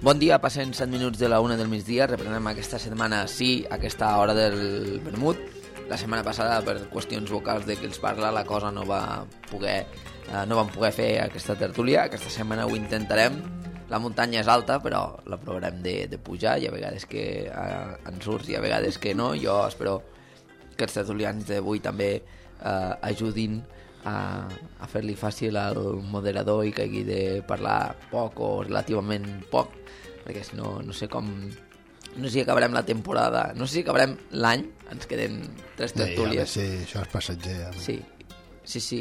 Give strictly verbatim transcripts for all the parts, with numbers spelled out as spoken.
Bon dia, passen set minuts de la una del migdia, reprenem aquesta setmana, sí, aquesta hora del vermut. La setmana passada, per qüestions vocals de qui els parla, la cosa no va poder, eh, no vam poder fer aquesta tertúlia. Aquesta setmana ho intentarem. La muntanya és alta, però la provarem de, de pujar. Hi ha vegades que eh, en surts i a vegades que no. Jo espero que els tertulians d'avui també eh, ajudin a, a fer-li fàcil al moderador i que hagi de parlar poc o relativament poc, perquè si no, no sé com... No sé si acabarem la temporada, no sé si acabarem l'any, ens queden tres tertúlies. Sí, ja, sí, això és passatger. Ja. Sí, sí, sí.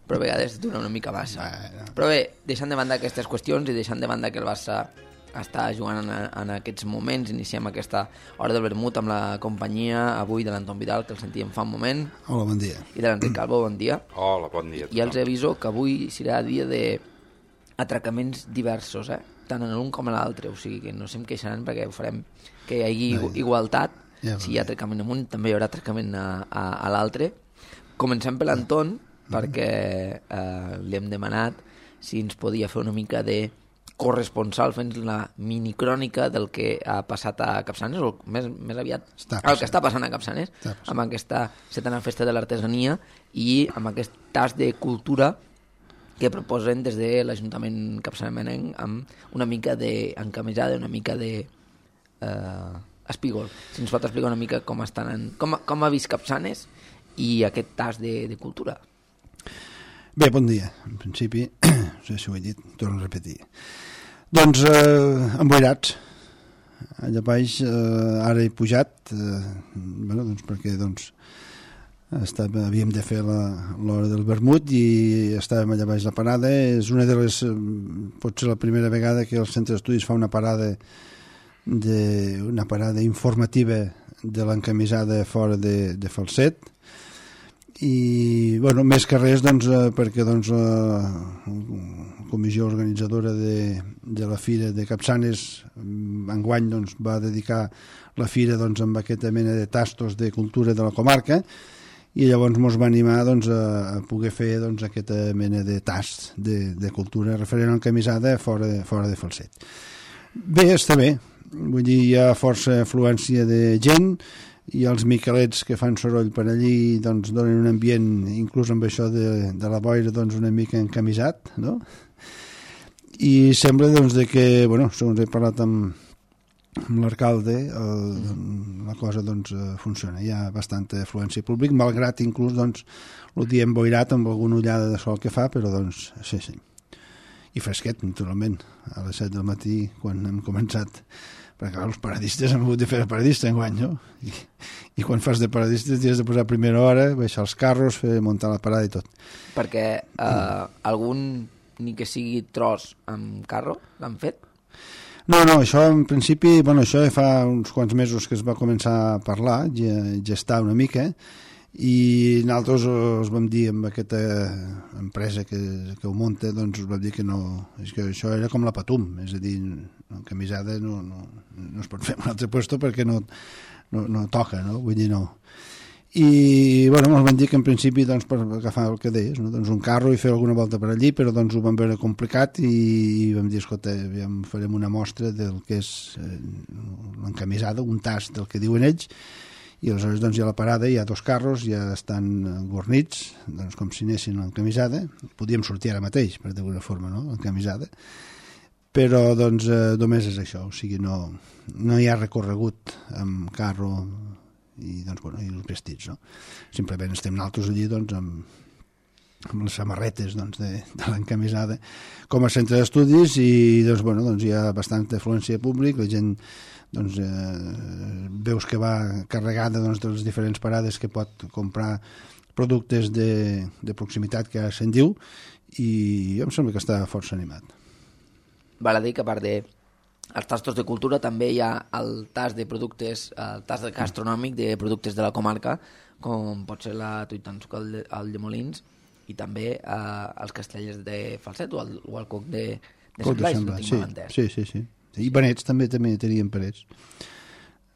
Però a vegades dura una mica massa. Però bé, deixant de banda aquestes qüestions i deixant de banda que el Barça està jugant en, en aquests moments, iniciem aquesta hora del vermut amb la companyia avui de l'Anton Vidal, que el sentíem fa un moment. Hola, bon dia. I de l'Enric Calvo, bon dia. Hola, bon dia. I els aviso que avui serà dia d'atracaments diversos, eh? Tant en l'un com en l'altre, o sigui que no se'm queixaran perquè ho farem que hi hagi no, igualtat. Ja, si hi ha atracament amunt, també hi haurà atracament a, a, a l'altre. Comencem per l'Anton, mm. perquè eh, li hem demanat si ens podia fer una mica de corresponsal fent la minicrònica del que ha passat a Capçanes, o més, més aviat el que està passant a Capçanes, amb aquesta setena festa de l'artesania i amb aquest tas de cultura que proposen des de l'Ajuntament capçanenc amb una mica d'encamisada, una mica de eh, espígol. Si ens pot explicar una mica com estan en, com, com ha vist Capçanes i aquest tas de, de cultura. Bé, bon dia. En principi, no sé si ho he dit, torno a repetir. Doncs eh, emboirats. Allà baix eh, ara he pujat, eh, bueno, doncs perquè doncs, estava, havíem de fer l'hora del vermut i estàvem allà baix la parada. És una de les, potser la primera vegada que el centre d'estudis fa una parada de, una parada informativa de l'encamisada fora de, de Falset. I bueno, més que res doncs, perquè doncs, la comissió organitzadora de, de la Fira de Capçanes enguany doncs, va dedicar la Fira doncs, amb aquesta mena de tastos de cultura de la comarca i llavors ens va animar doncs, a, a poder fer doncs, aquesta mena de tast de, de cultura referent a l'encamisada fora, fora de Falset. Bé, està bé, vull dir, hi ha força afluència de gent i els miquelets que fan soroll per allí doncs, donen un ambient, inclús amb això de, de la boira, doncs, una mica encamisat, no? I sembla doncs, de que, bueno, segons he parlat amb amb l'alcalde, la cosa doncs, funciona. Hi ha bastanta afluència públic, malgrat inclús doncs, el dia emboirat amb alguna ullada de sol que fa, però doncs sí, sí. I fresquet, naturalment, a les set del matí, quan hem començat, perquè clar, els paradistes hem hagut de fer de paradista enguany, no? I, i quan fas de paradistes tens de posar a primera hora, baixar els carros, fer, muntar la parada i tot. Perquè eh, mm. algun, ni que sigui tros amb carro, l'han fet? No, no, això en principi, bueno, això fa uns quants mesos que es va començar a parlar, ja, ja està una mica, i nosaltres us vam dir amb aquesta empresa que, que ho munta, doncs us vam dir que no, és que això era com la Patum, és a dir, en camisada no, no, no es pot fer en un altre puesto perquè no, no, no toca, no? Vull dir, no. I bueno, ens van dir que en principi doncs, per agafar el que deies, no? Doncs un carro i fer alguna volta per allí, però doncs ho vam veure complicat i, i vam dir, escolta, aviam, farem una mostra del que és eh, l'encamisada, un tast del que diuen ells, i aleshores doncs, hi ha la parada, hi ha dos carros, ja estan gornits, doncs, com si anessin l'encamisada, podíem sortir ara mateix, per d'alguna forma, no? L'encamisada, però doncs eh, només és això, o sigui, no, no hi ha recorregut amb carro i doncs, bueno, i els vestits, no? Simplement estem nosaltres allí doncs, amb, amb les samarretes doncs, de, de l'encamisada com a centre d'estudis i doncs, bueno, doncs, hi ha bastanta afluència públic, la gent doncs, eh, veus que va carregada doncs, de les diferents parades que pot comprar productes de, de proximitat que se'n diu i em sembla que està força animat. Val a dir que a part de els tastos de cultura també hi ha el tas de productes, el tas gastronòmic de productes de la comarca, com pot ser la tuitansuca al, al de Molins i també eh, els castellers de Falset o el, o el coc de, de Sant Blai, si no tinc sí, mal entès. Sí, sí, sí. I panets també, també tenien panets.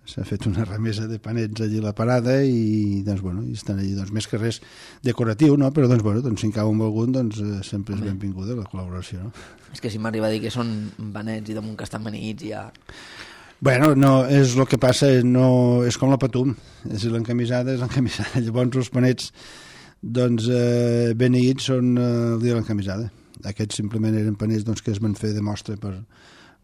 s'ha fet una remesa de panets allí a la parada i, doncs, bueno, i estan allí, doncs, més que res decoratiu, no? Però, doncs, bueno, doncs, si en cau amb algun, doncs, eh, sempre és benvinguda la col·laboració, no? És que si m'arriba a dir que són panets i damunt que estan beneïts ja... Bueno, no, és el que passa, no, és com la patum, és l'encamisada, és l'encamisada. Llavors els panets, doncs, eh, beneïts són eh, el dia de l'encamisada. Aquests simplement eren panets, doncs, que es van fer de mostra per...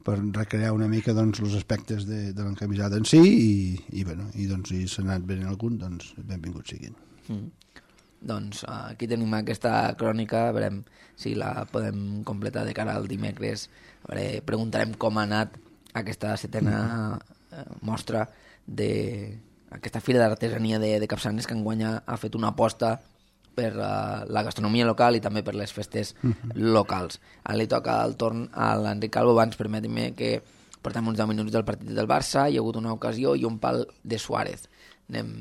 per recrear una mica, doncs, els aspectes de, de l'encamisada en si i, i, bueno, i doncs, si s'ha anat venint algun, doncs benvinguts siguin. Mm. Doncs uh, aquí tenim aquesta crònica, veurem si la podem completar de cara al dimecres. Veure, preguntarem com ha anat aquesta setena uh, mostra d'aquesta fira d'artesania de, de Capçanes, que enguany ha fet una aposta per uh, la gastronomia local i també per les festes uh-huh. locals. Ara li toca el torn a l'Enric Calvo. Abans, permetin-me que portem uns deu minuts del partit del Barça, hi ha hagut una ocasió i un pal de Suárez. Anem...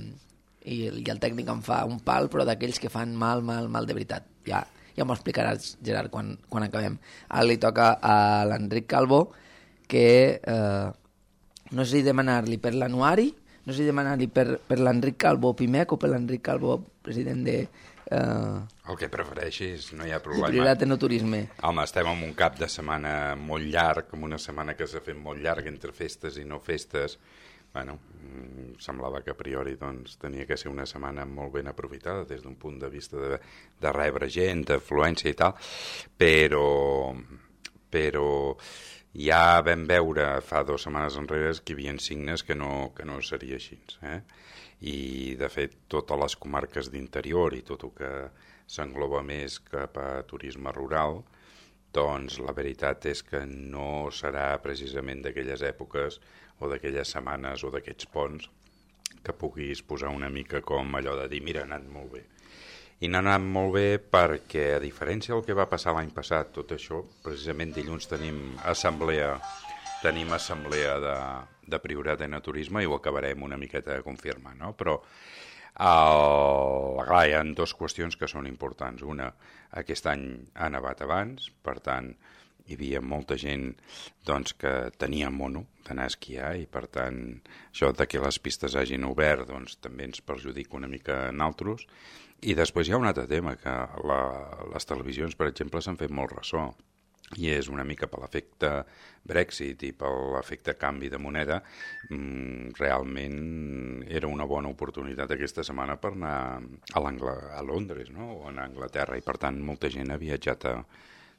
I, I el tècnic em fa un pal, però d'aquells que fan mal, mal, mal de veritat. Ja, ja m'ho explicaràs, Gerard, quan, quan acabem. Ara li toca a l'Enric Calvo, que eh, no sé si demanar-li per l'anuari, no sé si demanar-li per, per l'Enric Calvo Pimec o per l'Enric Calvo, president de... Uh, el que prefereixis, no hi ha problema. Prioritat en el turisme. Home, estem en un cap de setmana molt llarg, com una setmana que s'ha fet molt llarg entre festes i no festes. Bueno, semblava que a priori doncs, tenia que ser una setmana molt ben aprofitada des d'un punt de vista de, de rebre gent, d'afluència i tal, però, però ja vam veure fa dues setmanes enrere que hi havia signes que no, que no seria així, eh? I de fet totes les comarques d'interior i tot el que s'engloba més cap a turisme rural, doncs la veritat és que no serà precisament d'aquelles èpoques o d'aquelles setmanes o d'aquests ponts que puguis posar una mica com allò de dir mira, ha anat molt bé. I n'ha anat molt bé perquè, a diferència del que va passar l'any passat, tot això, precisament dilluns tenim assemblea tenim assemblea de, de prioritat en el turisme i ho acabarem una miqueta de confirmar, no? Però el, clar, hi ha dues qüestions que són importants. Una, aquest any ha nevat abans, per tant, hi havia molta gent doncs, que tenia mono d'anar a esquiar i, per tant, això de que les pistes hagin obert doncs, també ens perjudica una mica en altres. I després hi ha un altre tema, que la, les televisions, per exemple, s'han fet molt ressò. I és una mica per l'efecte Brexit i per l'efecte canvi de moneda, mmm, realment era una bona oportunitat aquesta setmana per anar a, a Londres, no? O a Anglaterra, i per tant molta gent ha viatjat a,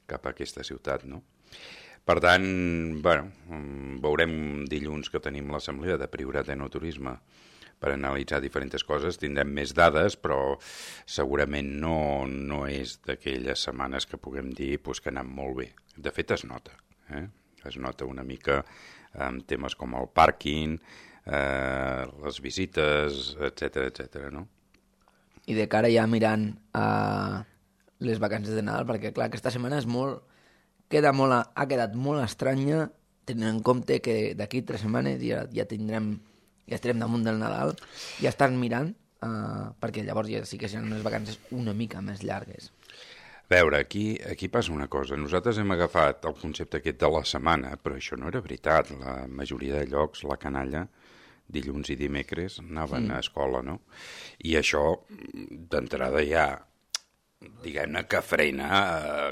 cap a aquesta ciutat, no? Per tant, bueno, veurem dilluns que tenim l'assemblea de prioritat en el turisme per analitzar diferents coses, tindrem més dades, però segurament no, no és d'aquelles setmanes que puguem dir pues, que ha anat molt bé. De fet, es nota. Eh? Es nota una mica amb temes com el pàrquing, eh, les visites, etcètera, etcètera, no? I de cara ja mirant a les vacances de Nadal, perquè clar, aquesta setmana és molt, queda molt, ha quedat molt estranya, tenint en compte que d'aquí tres setmanes ja, ja tindrem ja estarem damunt del Nadal, ja estan mirant, uh, perquè llavors ja sí que seran unes vacances una mica més llargues. A veure, aquí, aquí passa una cosa. Nosaltres hem agafat el concepte aquest de la setmana, però això no era veritat. La majoria de llocs, la canalla, dilluns i dimecres, anaven mm. a escola, no? I això, d'entrada ja, diguem-ne que frena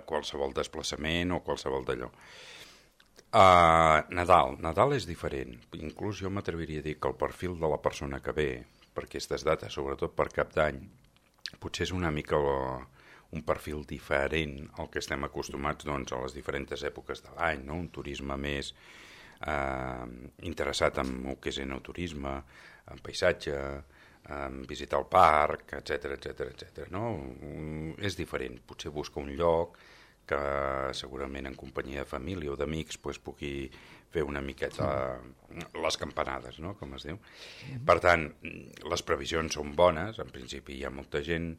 qualsevol desplaçament o qualsevol d'allò. Uh, Nadal. Nadal és diferent. Inclús jo m'atreviria a dir que el perfil de la persona que ve per aquestes dates, sobretot per Cap d'Any, potser és una mica la, un perfil diferent al que estem acostumats doncs, a les diferents èpoques de l'any, no? Un turisme més eh, interessat en el que és enoturisme, en paisatge, en visitar el parc, etcètera, etcètera, etcètera, no? Um, és diferent. Potser busca un lloc que segurament en companyia de família o d'amics pues, pugui fer una miqueta les campanades, no? Com es diu. Per tant, les previsions són bones, en principi hi ha molta gent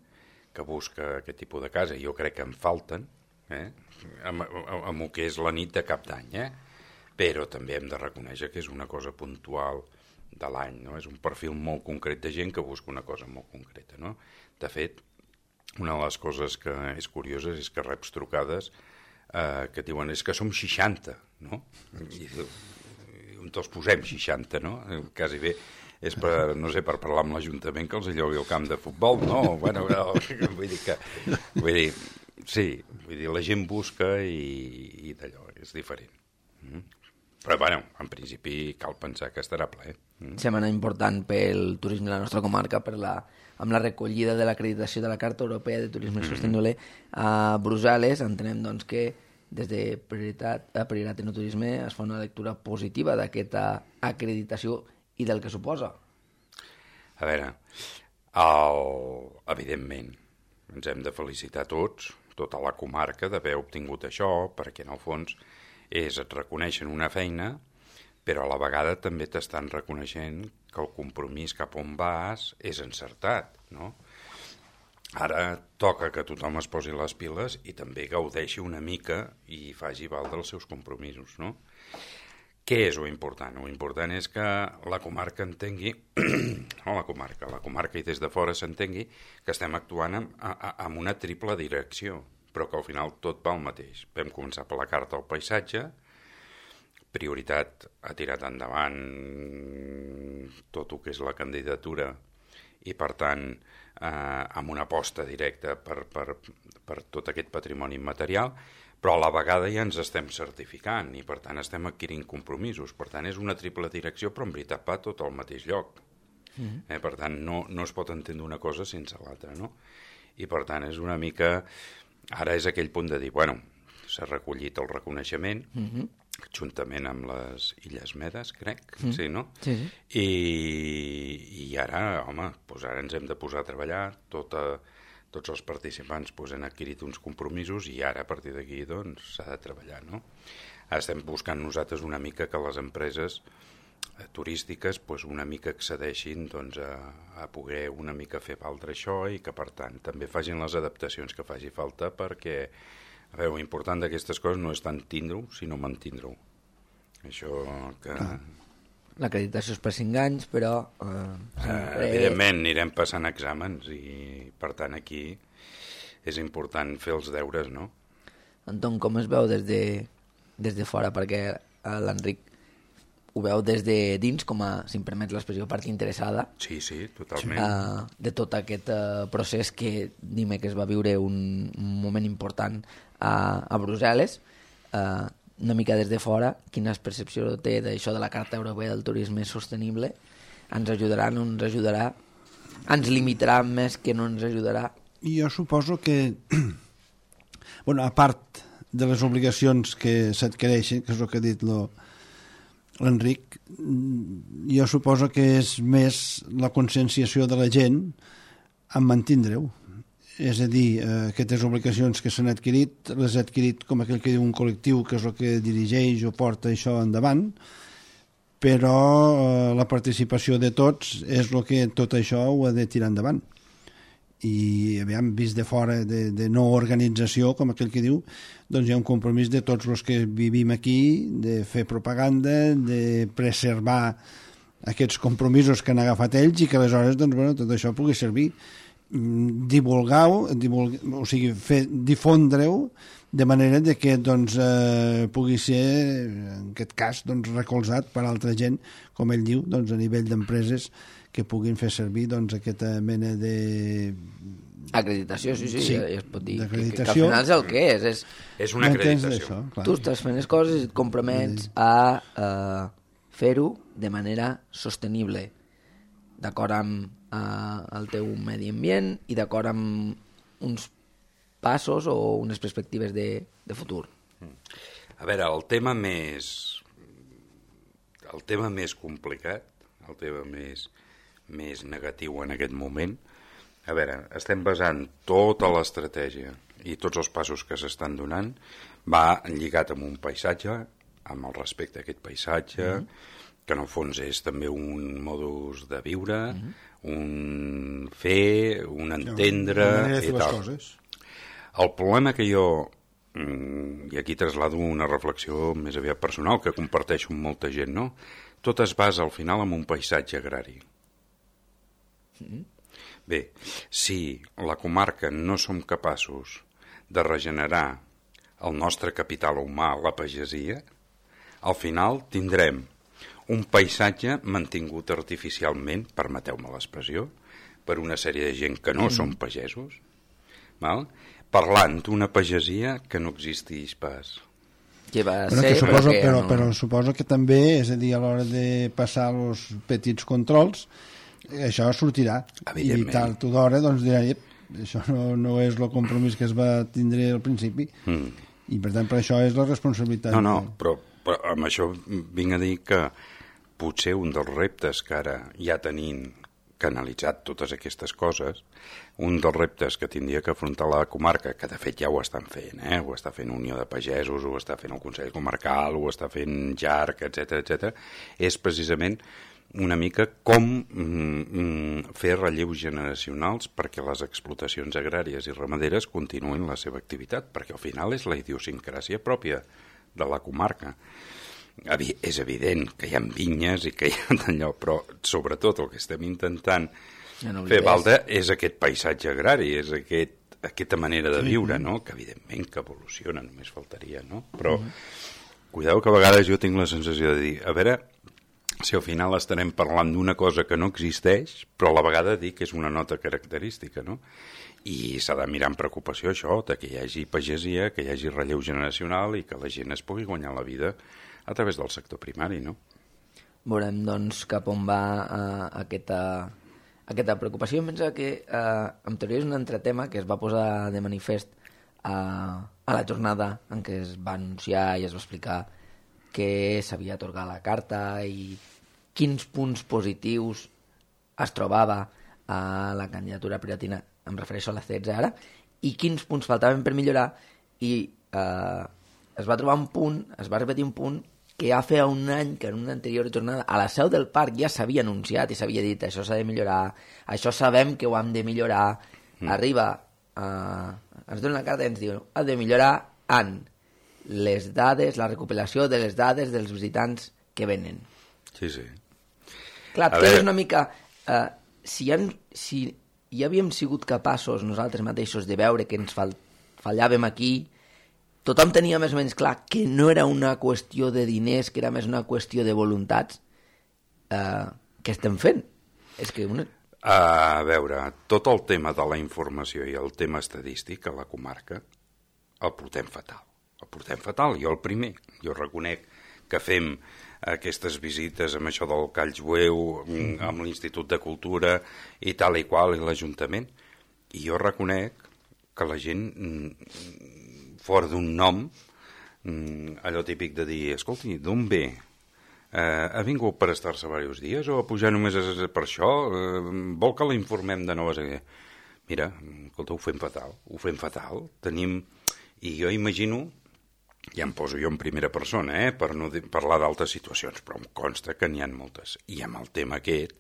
que busca aquest tipus de casa, jo crec que en falten, eh? amb, amb, amb el que és la nit de Cap d'Any, eh? Però també hem de reconèixer que és una cosa puntual de l'any, no? És un perfil molt concret de gent que busca una cosa molt concreta, no? De fet, una de les coses que és curioses és que reps trucades eh, que diuen és que som seixanta, no? I diu, on els posem seixanta, no? Quasi bé és per, no sé, per parlar amb l'Ajuntament que els llogui el camp de futbol, no? Bueno, no, vull dir que... Vull dir, sí, vull dir, la gent busca i, i d'allò, és diferent. Mm? Però, bueno, en principi cal pensar que estarà ple. Mm? Setmana important pel turisme de la nostra comarca, per la, amb la recollida de l'acreditació de la Carta Europea de Turisme mm. Sostenible a Brussel·les. Entenem, doncs, que des de Prioritat, a Prioritat en Turisme es fa una lectura positiva d'aquesta acreditació i del que suposa. A veure, el... evidentment, ens hem de felicitar tots, tota la comarca, d'haver obtingut això, perquè en el fons és, et reconeixen una feina, però a la vegada també t'estan reconeixent que el compromís cap on vas és encertat, no? Ara toca que tothom es posi les piles i també gaudeixi una mica i faci valdre els seus compromisos, no? Què és lo important? Lo important és que la comarca entengui, no la comarca, la comarca i des de fora s'entengui que estem actuant amb, amb una triple direcció, però que al final tot va al mateix. Vam començar per la carta al paisatge, Prioritat ha tirat endavant tot el que és la candidatura i, per tant, eh, amb una aposta directa per, per, per tot aquest patrimoni immaterial, però a la vegada ja ens estem certificant i, per tant, estem adquirint compromisos. Per tant, és una triple direcció, però en veritat va tot al mateix lloc. Mm. Eh, per tant, no, no es pot entendre una cosa sense l'altra, no? I, per tant, és una mica... Ara és aquell punt de dir, bueno, s'ha recollit el reconeixement, mm-hmm. juntament amb les Illes Medes, crec, mm. sí, no? Sí, sí. I, i ara, home, doncs ara ens hem de posar a treballar, tota, tots els participants doncs, han adquirit uns compromisos i ara, a partir d'aquí, doncs, s'ha de treballar, no? Estem buscant nosaltres una mica que les empreses eh, turístiques doncs, una mica accedeixin doncs, a, a poder una mica fer valdre això i que, per tant, també facin les adaptacions que faci falta perquè, a veure, l'important d'aquestes coses no és tant tindre-ho, sinó mantindre-ho. Això que... Ah. L'acreditació és per cinc anys, però... Eh, sempre... eh, evidentment, anirem passant exàmens i, per tant, aquí és important fer els deures, no? Anton, com es veu des de, des de fora? Perquè l'Enric ho veu des de dins, com a, si em permets l'expressió, part interessada. Sí, sí, totalment. Uh, de tot aquest uh, procés que dimecres va viure un, un moment important a, a Brussel·les. Uh, una mica des de fora, quina percepció té d'això de la Carta Europea del Turisme Sostenible? Ens ajudarà, no ens ajudarà? Ens limitarà més que no ens ajudarà? Jo suposo que, bueno, a part de les obligacions que s'adquireixen, que és el que ha dit lo, l'Enric, jo suposo que és més la conscienciació de la gent en mantindre-ho. És a dir, eh, aquestes obligacions que s'han adquirit, les ha adquirit com aquell que diu un col·lectiu que és el que dirigeix o porta això endavant, però eh, la participació de tots és el que tot això ho ha de tirar endavant. I, aviam, vist de fora de, de no organització, com aquell que diu, doncs hi ha un compromís de tots els que vivim aquí, de fer propaganda, de preservar aquests compromisos que han agafat ells i que aleshores, doncs, bueno, tot això pugui servir. Divulgar-ho, divulgar, o sigui, fer, difondre-ho de manera de que doncs, eh, pugui ser, en aquest cas, doncs, recolzat per altra gent, com ell diu, doncs, a nivell d'empreses que puguin fer servir doncs, aquesta mena de... Acreditació, sí, sí, sí, es pot dir que, que, que al final és el que és. És, és una acreditació. Tu estàs fent les coses i et compromets a uh, fer-ho de manera sostenible, d'acord amb uh, el teu medi ambient i d'acord amb uns passos o unes perspectives de, de futur. A veure, el tema més el tema més complicat, el tema més, més negatiu en aquest moment, a veure, estem basant tota l'estratègia i tots els passos que s'estan donant va lligat amb un paisatge, amb el respecte a aquest paisatge, mm-hmm. que en el fons és també un modus de viure, mm-hmm. un fer, un entendre... No, i tal. Coses. El problema que jo, i aquí traslado una reflexió més aviat personal, que comparteixo amb molta gent, no? Tot es basa al final en un paisatge agrari. Mm-hmm. Bé, si la comarca no som capaços de regenerar el nostre capital humà, la pagesia, al final tindrem un paisatge mantingut artificialment, permeteu-me l'expressió, per una sèrie de gent que no mm. són pagesos, val? Parlant d'una pagesia que no existeix pas. Que va bueno, ser, que suposo, però, que però, no... però suposo que també, és a dir, a l'hora de passar els petits controls, això sortirà. I tard o d'hora doncs dirà, això no, no és el compromís que es va tindre al principi. Mm. I per tant, per això és la responsabilitat. No, no, però, però amb això vinc a dir que potser un dels reptes que ara ja tenim canalitzat totes aquestes coses, un dels reptes que tindria que afrontar la comarca, que de fet ja ho estan fent, eh? Ho està fent Unió de Pagesos, ho està fent el Consell Comarcal, ho està fent J A R C, etcètera, etcètera, és precisament una mica com mm, fer relleus generacionals perquè les explotacions agràries i ramaderes continuïn la seva activitat, perquè al final és la idiosincràsia pròpia de la comarca. És evident que hi ha vinyes i que hi ha d'allò, però sobretot el que estem intentant ja no fer valdre és aquest paisatge agrari, és aquest, aquesta manera de viure, no? Que evidentment que evoluciona, només faltaria, no? Però mm-hmm. cuidado que a vegades jo tinc la sensació de dir, a veure si al final estarem parlant d'una cosa que no existeix, però a la vegada dir que és una nota característica, no? I s'ha de mirar amb preocupació això, de que hi hagi pagesia, que hi hagi relleu generacional i que la gent es pugui guanyar la vida a través del sector primari, no? Veurem, doncs, cap on va uh, aquesta, aquesta preocupació. Em pensa que, uh, en teoria, és un altre tema que es va posar de manifest uh, a la jornada en què es va anunciar i es va explicar que s'havia atorgat la carta i quins punts positius es trobava a la candidatura piratina, em refereixo a la setze ara, i quins punts faltaven per millorar, i uh, es va trobar un punt, es va repetir un punt que ja feia un any que en una anterior jornada a la seu del parc ja s'havia anunciat i s'havia dit això s'ha de millorar, això sabem que ho hem de millorar. Mm. Arriba, uh, ens donen la carta i ens diuen ha de millorar en les dades, la recopilació de les dades dels visitants que venen. Sí, sí. Clar, que és una mica... Uh, si, han, si ja havíem sigut capaços nosaltres mateixos de veure que ens fall, fallàvem aquí, tothom tenia més o menys clar que no era una qüestió de diners, que era més una qüestió de voluntats, eh, què estem fent? És que una... A veure, tot el tema de la informació i el tema estadístic a la comarca el portem fatal. El portem fatal, jo el primer. Jo reconec que fem aquestes visites amb això del Call Jueu, amb l'Institut de Cultura i tal i qual, i l'Ajuntament, i jo reconec que la gent... fora d'un nom, allò típic de dir, escolti, d'on ve? Eh, ha vingut per estar-se diversos dies o a pujar només per això? Eh, vol que la informem de noves? Mira, escolta, ho fem fatal, ho fem fatal. Tenim, i jo imagino, ja em poso jo en primera persona, eh, per no parlar d'altres situacions, però em consta que n'hi ha moltes. I amb el tema aquest,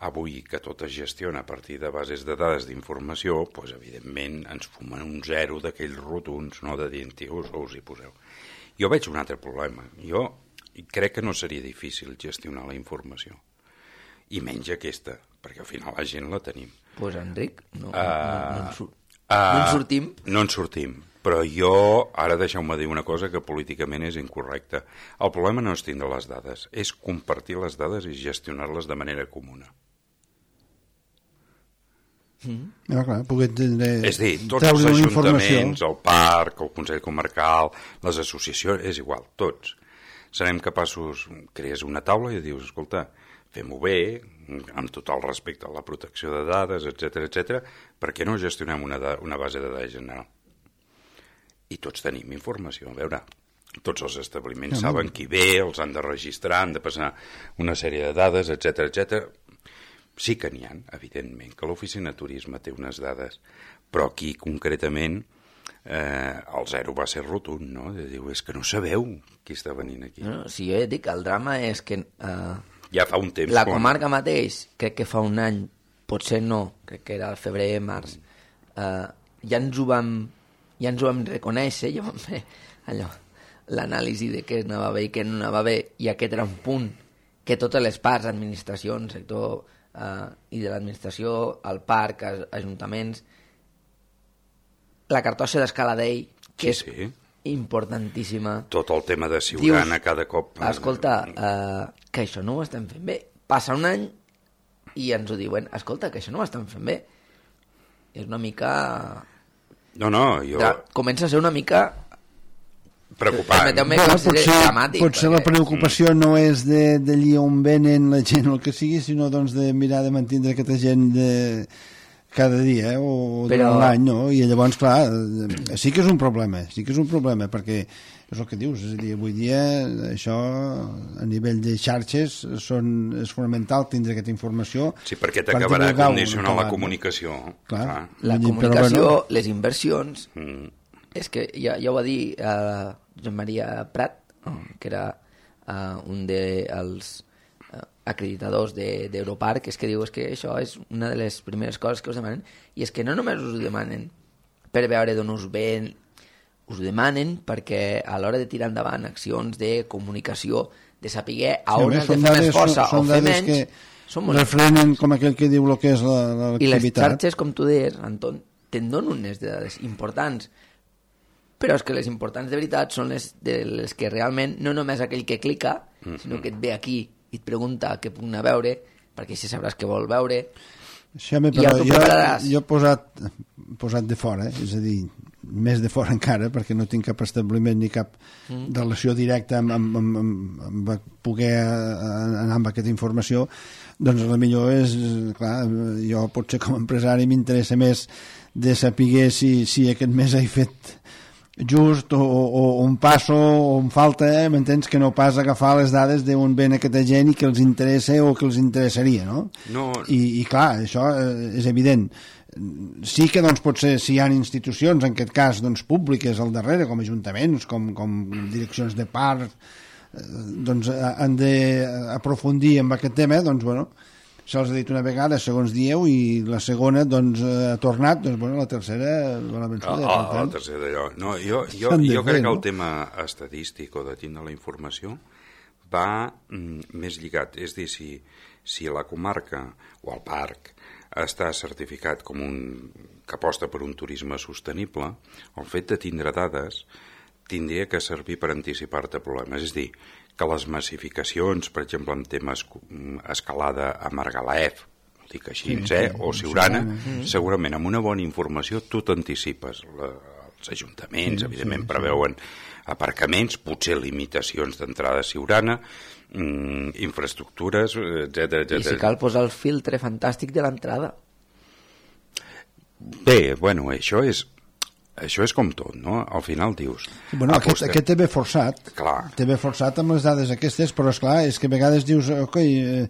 avui que tot es gestiona a partir de bases de dades d'informació, doncs evidentment ens fumen un zero d'aquells rotuns, no de dir, tios, us hi poseu. Jo veig un altre problema. Jo crec que no seria difícil gestionar la informació. I menys aquesta, perquè al final la gent la tenim. Doncs pues, Enric, no, uh, no, no, en sur uh, no en sortim. No en sortim. Però jo, ara deixeu-me dir una cosa que políticament és incorrecta. El problema no és tindre les dades, és compartir les dades i gestionar-les de manera comuna. Mm. Ja, clar, poder tindre... És dir, tots els ajuntaments, el parc, el Consell Comarcal, les associacions, és igual, tots. Serem capaços, crees una taula i dius, escolta, fem-ho bé, amb tot el respecte a la protecció de dades, etcètera, etcètera, per què no gestionem una, una base de dades general? I tots tenim informació, a veure, tots els establiments ja, saben qui ve, els han de registrar, han de passar una sèrie de dades, etcètera, etcètera. Sí que n'hi ha, evidentment, que l'oficina de turisme té unes dades, però aquí concretament eh, el zero va ser rotund, no? De dir, és que no sabeu qui està venint aquí. No, si jo ja dic, el drama és que eh, ja fa un temps, la comarca quan... mateix, crec que fa un any, potser no, crec que era el febrer, març, eh, ja ens ho vam ja ens ho vam reconèixer, ja vam fer allò, l'anàlisi de què anava bé i què no anava bé, i aquest era un punt que totes les parts, administracions, sector eh, i de l'administració, el parc, ajuntaments, la cartoixa d'Escaladell, que sí, és importantíssima. Tot el tema de Siurana, dius, cada cop... Escolta, eh, que això no ho estem fent bé. Passa un any i ens ho diuen, escolta, que això no ho estem fent bé. És una mica... No, no, jo... Ja, comença a ser una mica... preocupant. Bueno, potser dramàtic, potser perquè... la preocupació mm. no és d'allí on venen la gent o el que sigui, sinó doncs, de mirar de mantenir aquesta gent de... cada dia eh? o Però... durant l'any, no? I llavors, clar, sí que és un problema, sí que és un problema, perquè és el que dius, és a dir, avui dia això a nivell de xarxes són, és fonamental tindre aquesta informació. Sí, perquè t'acabarà per condicionant la comunicació. Clar. Clar. La dir, comunicació, bueno... les inversions, Mm. és que ja, ja ho va dir uh, Joan Maria Prat, que era uh, un dels uh, acreditadors d'Europarc, de, és que diu és que això és una de les primeres coses que us demanen, i és que no només us ho demanen per veure d'on us ven, us ho demanen perquè a l'hora de tirar endavant accions de comunicació, de saber a on sí, has de fer més força són, o fer menys, són molt... refrenen com aquell que diu el que és l'activitat. I les xarxes, com tu deies, Anton, te'n donen unes dades importants, però és que les importants de veritat són les, de les que realment no només aquell que clica, mm-hmm. sinó que et ve aquí i et pregunta què puc anar a veure, perquè així sabràs què vol veure. Sí, home, però jo, jo he posat, posat de fora, eh? És a dir, més de fora encara, perquè no tinc cap establiment ni cap mm. relació directa amb, amb, amb, amb, amb poder anar amb aquesta informació, doncs el millor és, clar, jo potser com a empresari m'interessa més de saber si, si aquest mes he fet just o, o, o un passo o un falta, eh? M'entens, que no pas agafar les dades d'on ven aquesta gent i que els interessa o que els interessaria, no? no. I, i clar, això és evident. Sí que doncs, potser si hi ha institucions, en aquest cas doncs, públiques al darrere, com ajuntaments, com, com direccions de parc, eh, doncs han d'aprofundir en aquest tema, doncs bueno, se'ls ha dit una vegada, segons dieu, i la segona doncs, ha tornat, doncs bueno, la tercera bona vençuda. Ah, ah, la tercera d'allò. No, jo jo, jo crec que el tema estadístic o de tindre la informació va mm, més lligat. És dir, si, si la comarca o el parc està certificat com un que aposta per un turisme sostenible, el fet de tindre dades tindria que servir per anticipar-te problemes. És dir, que les massificacions, per exemple, en temes escalada a Margalef, ho dic així, sí, eh? o Siurana, sí, sí. segurament amb una bona informació tu t'anticipes. La, els ajuntaments, sí, evidentment, sí, preveuen sí. aparcaments, potser limitacions d'entrada a Siurana, mm, infraestructures, etcètera, etcètera. I si cal posar el filtre fantàstic de l'entrada. Bé, bueno, això és... Això és com tot, no? Al final dius... Bueno, aquest, aquest té bé forçat. Clar. Té bé forçat amb les dades aquestes, però esclar, és que a vegades dius, ok, eh,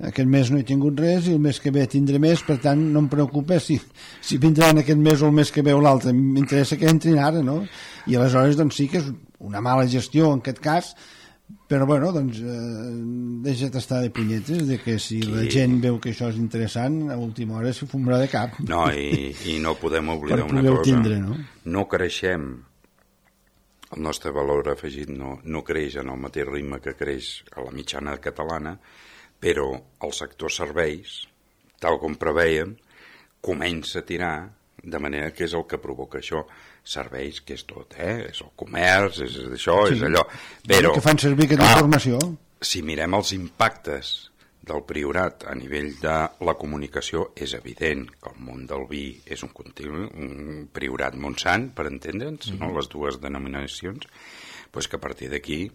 aquest mes no he tingut res i el mes que ve tindré més, per tant no em preocupa si, si vindran aquest mes o el mes que ve o l'altre. M'interessa que entrin ara, no? I aleshores, doncs sí que és una mala gestió en aquest cas, però bueno, doncs eh, deixa't estar de punyetes, de que si sí. la gent veu que això és interessant, a última hora s'ho fumarà de cap. No, i, i no podem oblidar una cosa. Tindre, no? no creixem, el nostre valor afegit no, no creix en el mateix ritme que creix a la mitjana catalana, però el sector serveis, tal com preveiem, comença a tirar, de manera que és el que provoca això. Serveis, que és tot, eh? És el comerç, és això, sí. és allò. Però, que fan servir aquesta informació. Si mirem els impactes del Priorat a nivell de la comunicació, és evident que el món del vi és un continu, un Priorat Montsant, per entendre'ns, mm-hmm. no? Les dues denominacions, pues que a partir d'aquí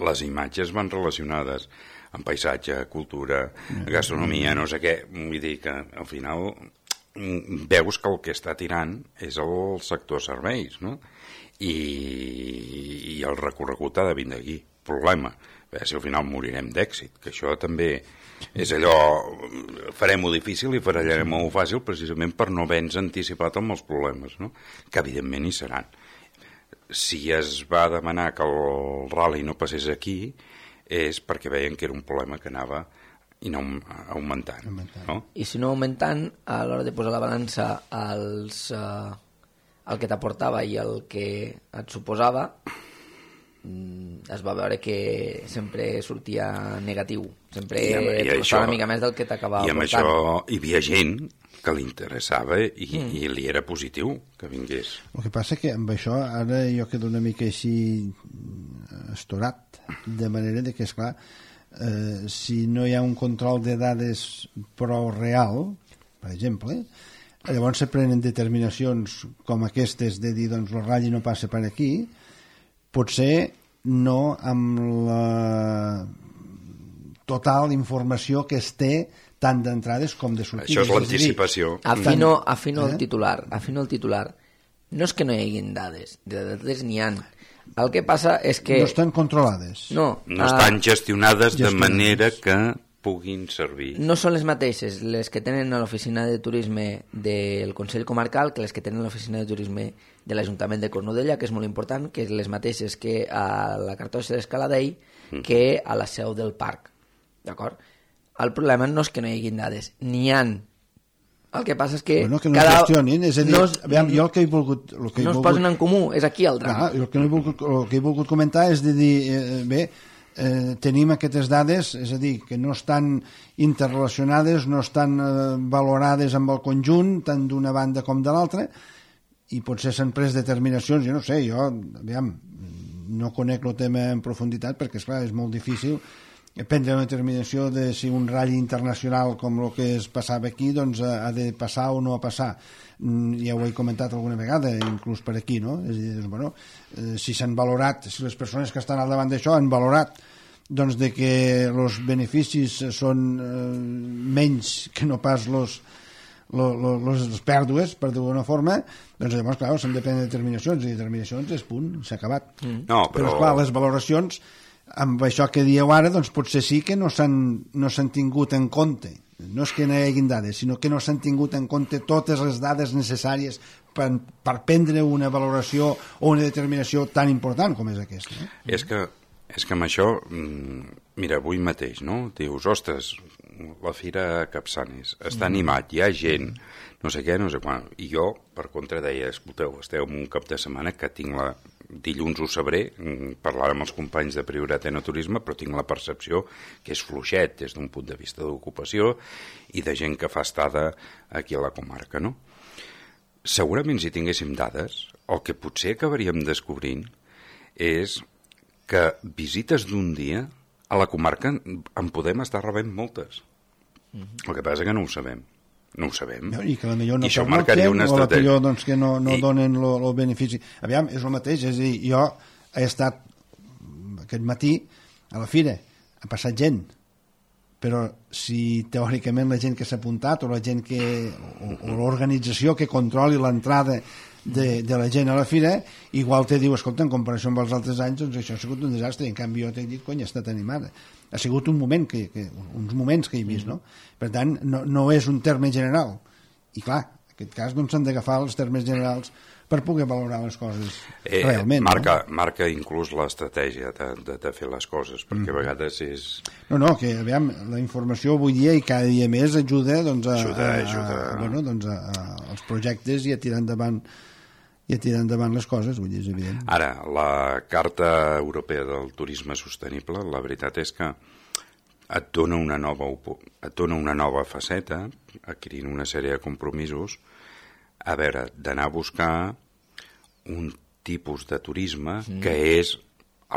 les imatges van relacionades amb paisatge, cultura, mm-hmm. gastronomia, no sé què, vull dir que al final... veus que el que està tirant és el sector serveis, no? I, i el recorregut ha de vindre aquí. Problema, a veure si al final morirem d'èxit, que això també és allò, farem-ho difícil i farem-ho fàcil precisament per no haver-nos anticipat amb els problemes, no? Que evidentment hi seran. Si es va demanar que el rally no passés aquí és perquè veien que era un problema que anava i no augmentant, augmentant. No? I si no augmentant, a l'hora de posar la balança als, uh, el que t'aportava i el que et suposava, es va veure que sempre sortia negatiu, sempre costava una mica més del que t'acabava aportant. I amb això hi havia gent que li interessava i, mm. i li era positiu que vingués. El que passa que amb això ara jo quedo una mica així estorat, de manera de que, esclar, eh, si no hi ha un control de dades prou real, per exemple, llavors se prenen determinacions com aquestes de dir, doncs, el ratll no passa per aquí, potser no amb la total informació que es té tant d'entrades com de sortides. Això és l'anticipació. Afino, afino el titular, afino el titular. No és que no hi haguin dades, de dades n'hi ha. El que passa és que... No estan controlades. No, no estan gestionades, gestionades de manera que puguin servir. No són les mateixes les que tenen a l'oficina de turisme del Consell Comarcal que les que tenen a l'oficina de turisme de l'Ajuntament de Cornudella, que és molt important, que és les mateixes que a la Cartoixa d'Escaladell, que a la seu del parc. D'acord? El problema no és que no hi hagin dades, n'hi han. El que passa és que... Bueno, que no cada... gestionin, és a dir, no es... aviam, jo el que he volgut... El que he no volgut... es posen en comú, és aquí el drama. Clar, el, que he volgut, el que he volgut comentar és de dir, eh, bé, eh, tenim aquestes dades, és a dir, que no estan interrelacionades, no estan eh, valorades amb el conjunt, tant d'una banda com de l'altra, i potser s'han pres determinacions, jo no sé, jo, aviam, no conec el tema en profunditat, perquè, esclar, és molt difícil prendre una determinació de si un ratll internacional com el que es passava aquí doncs ha de passar o no ha passar. Ja ho he comentat alguna vegada, inclús per aquí, no? És a dir, doncs, bueno, eh, si s'han valorat, si les persones que estan al davant d'això han valorat doncs de que els beneficis són eh, menys que no pas los les pèrdues, per dir-ho d'una forma, doncs llavors, clar, s'han de prendre determinacions, i determinacions és punt, s'ha acabat. Mm. No, però... però, clar, les valoracions amb això que dieu ara, doncs potser sí que no s'han no s'han tingut en compte. No és que no hi hagin dades, sinó que no s'han tingut en compte totes les dades necessàries per, per prendre una valoració o una determinació tan important com és aquesta. No? És que, és que amb això, mira, avui mateix, no? Dius, ostres, la fira a Capçanes està animat, hi ha gent, no sé què, no sé quan. I jo, per contra, deia, escolteu, esteu en un cap de setmana que tinc la... Dilluns ho sabré, parlar amb els companys de Priorat Enoturisme, però tinc la percepció que és fluixet des d'un punt de vista d'ocupació i de gent que fa estada aquí a la comarca, no? Segurament si tinguéssim dades, el que potser acabaríem descobrint és que visites d'un dia a la comarca en podem estar rebent moltes. Mm-hmm. El que passa és que no ho sabem. No ho sabem. I que potser no I això marcaria una estratègia. O doncs, que no, no I... donen el benefici. Aviam, és el mateix. És a dir, jo he estat aquest matí a la fira, ha passat gent, però si teòricament la gent que s'ha apuntat o la gent que o, o l'organització que controli l'entrada de, de la gent a la fira, igual te diu, escolta, en comparació amb els altres anys, doncs això ha sigut un desastre, i en canvi jo t'he dit, cony, ha estat animada. Ha sigut un moment, que, que, uns moments que he vist, no? Per tant, no, no és un terme general. I clar, en aquest cas doncs s'han d'agafar els termes generals per poder valorar les coses eh, realment. Marca, no? marca inclús l'estratègia de, de, de fer les coses, perquè mm. a vegades és... No, no, que aviam, la informació avui dia i cada dia més ajuda, doncs, a, ajuda, a, ajuda. A, bueno, doncs a, a, als projectes i a tirar endavant i a tirar endavant les coses, vull dir, és evident. Ara, la Carta Europea del Turisme Sostenible, la veritat és que et dona una nova, et dona una nova faceta, adquirint una sèrie de compromisos, a veure, d'anar a buscar un tipus de turisme mm. que és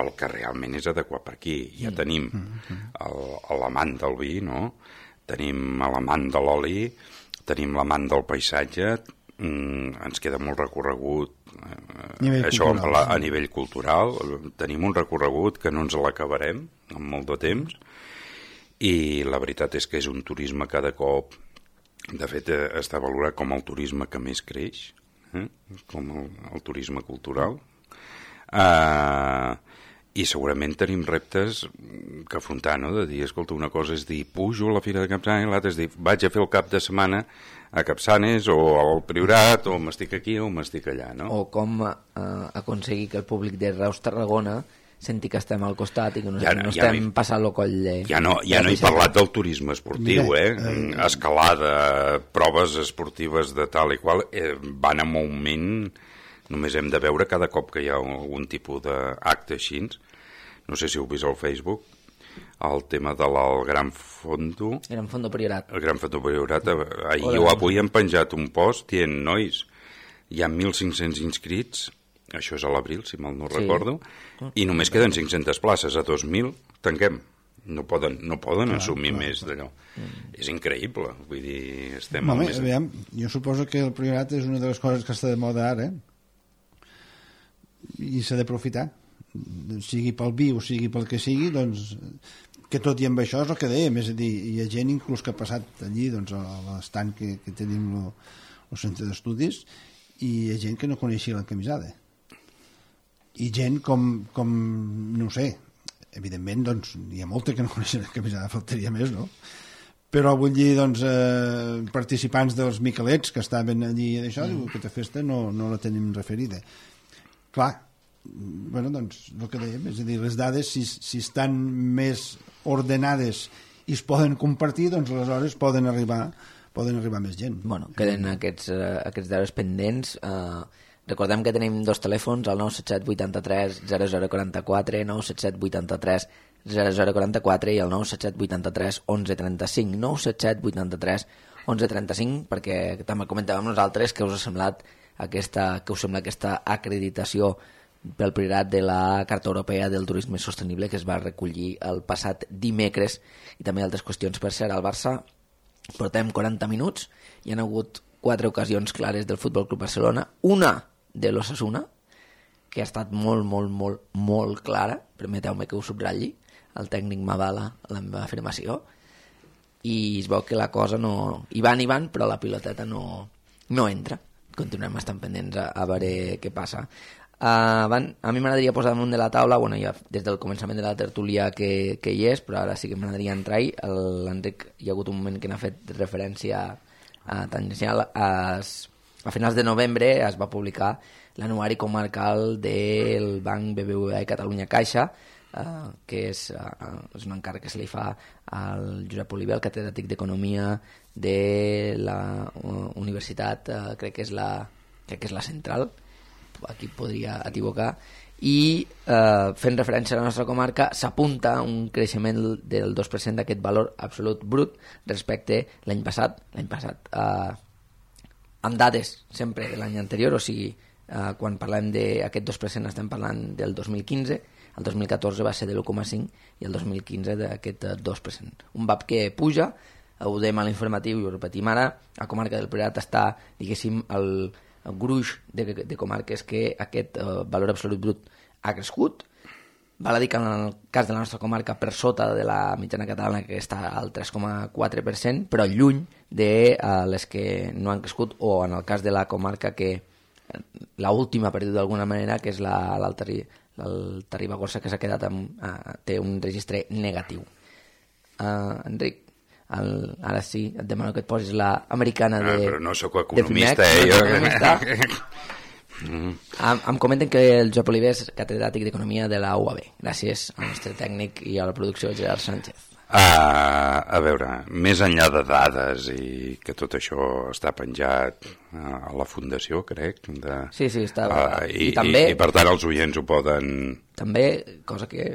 el que realment és adequat per aquí. Ja mm. tenim mm. l'amant del vi, no? Tenim l'amant de l'oli, tenim l'amant del paisatge, mm, ens queda molt recorregut eh, això cultural, a, a nivell cultural, tenim un recorregut que no ens l'acabarem en molt de temps, i la veritat és que és un turisme cada cop, de fet està valorat com el turisme que més creix, eh? com el, el turisme cultural, eh, i segurament tenim reptes que afrontar, no? De dir, escolta, una cosa és dir pujo a la Fira de Capçanes, l'altra és dir vaig a fer el cap de setmana a Capçanes o al Priorat, o m'estic aquí o m'estic allà, no? O com eh, aconseguir que el públic de Reus Tarragona senti que estem al costat i que no, ja, no ja estem no hi, passant el coll de... Ja no, ja no he parlat del turisme esportiu, eh? Escalada, proves esportives de tal i qual, eh, van en augment, només hem de veure cada cop que hi ha algun tipus d'acte així. No sé si heu vist al Facebook, el tema del Gran Fondo... Gran Fondo Priorat. El Gran Fondo Priorat. Ahir o avui han penjat un post dient, nois, hi ha mil cinc-cents inscrits, això és a l'abril, si mal no sí. recordo, i només queden cinc-centes places, a dos mil tanquem. no poden, no poden clar, assumir clar, més clar. d'allò. Mm. És increïble, vull dir, estem... Home, més... aviam, jo suposo que el priorat és una de les coses que està de moda ara, i s'ha d'aprofitar, sigui pel vi o sigui pel que sigui, doncs que tot i amb això és el que dèiem, és a dir, hi ha gent inclús que ha passat allí doncs, a l'estant que, que tenim el centre d'estudis, i hi ha gent que no coneixia la camisada, i gent com, com no ho sé, evidentment doncs, hi ha molta que no coneixen la camisada, faltaria més, no? Però vull dir, doncs, eh, participants dels Miquelets que estaven allí i d'això, mm. diu, aquesta festa no, no la tenim referida. Clar, bueno, doncs, el que dèiem, és a dir, les dades, si, si estan més ordenades i es poden compartir, doncs aleshores poden arribar, poden arribar més gent. Bueno, queden aquests, uh, aquests dades pendents. Uh, recordem que tenim dos telèfons, el nou set set vuitanta-tres zero zero quaranta-quatre, nou set set vuitanta-tres zero zero quaranta-quatre i el nou set set vuitanta-tres onze trenta-cinc, nou set set vuitanta-tres onze trenta-cinc, perquè també comentàvem nosaltres que us ha semblat aquesta, que us sembla aquesta acreditació pel priorat de la Carta Europea del Turisme Sostenible que es va recollir el passat dimecres, i també altres qüestions. Per cert, al Barça portem quaranta minuts i hi ha hagut quatre ocasions clares del Futbol Club Barcelona, una de l'Osasuna, que ha estat molt, molt, molt, molt clara, permeteu-me que ho subratlli, el tècnic m'avala la meva afirmació, i es veu que la cosa no... hi van, hi van, però la piloteta no, no entra. Continuem estant pendents a, a veure què passa. Uh, van, a mi m'agradaria posar damunt de la taula, bueno, ja des del començament de la tertúlia que, que hi és, però ara sí que m'agradaria entrar-hi. L'Enric, hi ha hagut un moment que n'ha fet referència a tangencial. A, a finals de novembre es va publicar l'anuari comarcal del Banc B B V A i Catalunya Caixa, uh, que és, uh, és un encàrrec que se li fa al Josep Oliver, el catedràtic d'Economia de la uh, universitat, uh, crec que és la, crec que és la Central, aquí podria equivocar, i eh, fent referència a la nostra comarca s'apunta un creixement del dos per cent d'aquest valor absolut brut respecte l'any passat, l'any passat eh, amb dades sempre de l'any anterior, o sigui, eh, quan parlem d'aquest dos per cent estem parlant del dos mil quinze, el dos mil catorze va ser de l'u coma cinc i el dos mil quinze d'aquest dos per cent. Un V A P que puja, ho dèiem a l'informatiu i ho repetim ara, la comarca del Priorat està, diguéssim, el el gruix de, de comarques que aquest uh, valor absolut brut ha crescut. Val a dir que en el cas de la nostra comarca per sota de la mitjana catalana, que està al tres coma quatre per cent, però lluny de uh, les que no han crescut, o en el cas de la comarca que la última perdut d'alguna manera, que és l'Alta Ribagorça, que s'ha quedat amb, uh, té un registre negatiu. Uh, Enric, El, ara sí, et demano que et posis la americana de... Ah, però no sóc economista, eh? Jo... economista. mm. em, em comenten que el Josep Oliver és catedràtic d'Economia de la U A B. Gràcies al nostre tècnic i a la producció Gerard Sánchez. Uh, a veure, més enllà de dades i que tot això està penjat a la Fundació, crec, de, sí, sí, està... Uh, i, I, també... I, i per tant els oients ho poden... També, cosa que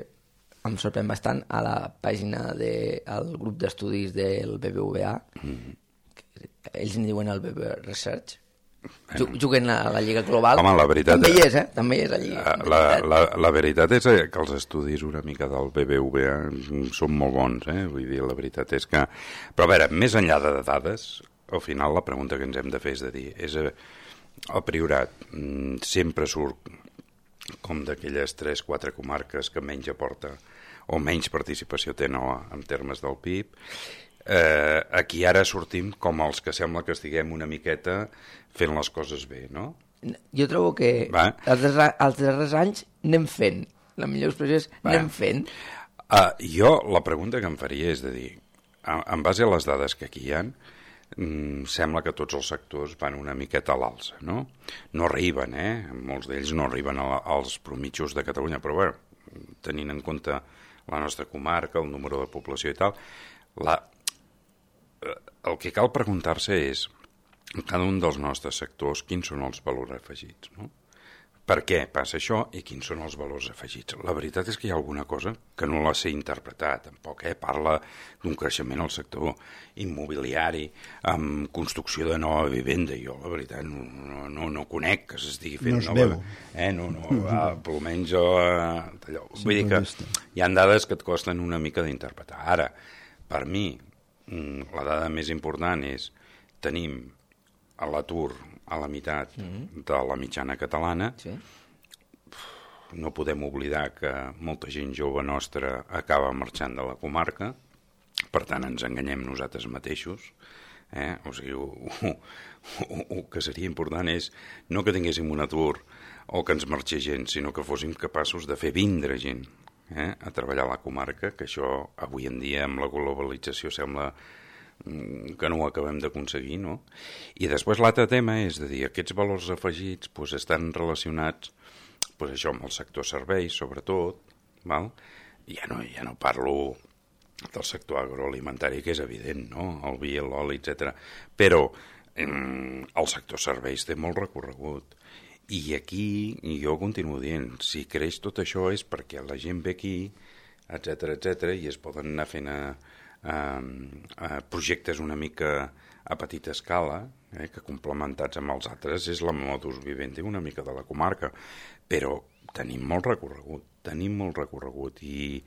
em sorprèn bastant, a la pàgina del grup d'estudis del B B V A, mm. ells en diuen el B B Research, bueno. Juguen a la Lliga Global. Home, la veritat, també hi és, eh? També hi és allí. La, la, la veritat és que els estudis una mica del B B V A són molt bons, eh? Vull dir, la veritat és que... Però a veure, més enllà de dades, al final la pregunta que ens hem de fer és de dir, és el Priorat sempre surt com d'aquelles tres o quatre comarques que menys aporta o menys participació té, no, en termes del P I B. Eh, aquí ara sortim com els que sembla que estiguem una miqueta fent les coses bé, no? Jo trobo que els darrers, els darrers anys anem fent, la millor expressió és Va. anem fent. Uh, jo la pregunta que em faria és de dir, en base a les dades que aquí hi ha, Mm, sembla que tots els sectors van una miqueta a l'alça, no? No arriben, eh? Molts d'ells no arriben a, als promitjos de Catalunya, però bé, tenint en compte la nostra comarca, el número de població i tal, la, el que cal preguntar-se és, en cada un dels nostres sectors, quins són els valors afegits, no? Per què passa això i quins són els valors afegits? La veritat és que hi ha alguna cosa que no la sé interpretar, tampoc, eh? Parla d'un creixement al sector immobiliari, amb construcció de nova vivenda. Jo, la veritat, no, no, no, no conec que s'estigui fent no nova... Eh? No, no, va, almenys jo... Allò. Vull dir que hi ha dades que et costen una mica d'interpretar. Ara, per mi, la dada més important és tenim a l'atur a la meitat mm-hmm. de la mitjana catalana. Sí. No podem oblidar que molta gent jove nostra acaba marxant de la comarca, per tant ens enganyem nosaltres mateixos. Eh? O sigui, el que seria important és no que tinguéssim un atur o que ens marxés gent, sinó que fóssim capaços de fer vindre gent eh? a treballar a la comarca, que això avui en dia amb la globalització sembla que no ho acabem d'aconseguir, no? I després l'altre tema és de dir, aquests valors afegits pues, estan relacionats pues, això amb el sector serveis, sobretot, val? Ja no, ja no parlo del sector agroalimentari, que és evident, no? El vi, l'oli, etcètera. Però eh, el sector serveis té molt recorregut. I aquí, jo continuo dient, si creix tot això és perquè la gent ve aquí, etcètera, etcètera, i es poden anar fent a Uh, uh, projectes una mica a petita escala, eh, que complementats amb els altres és la modus vivendi una mica de la comarca, però tenim molt recorregut, tenim molt recorregut i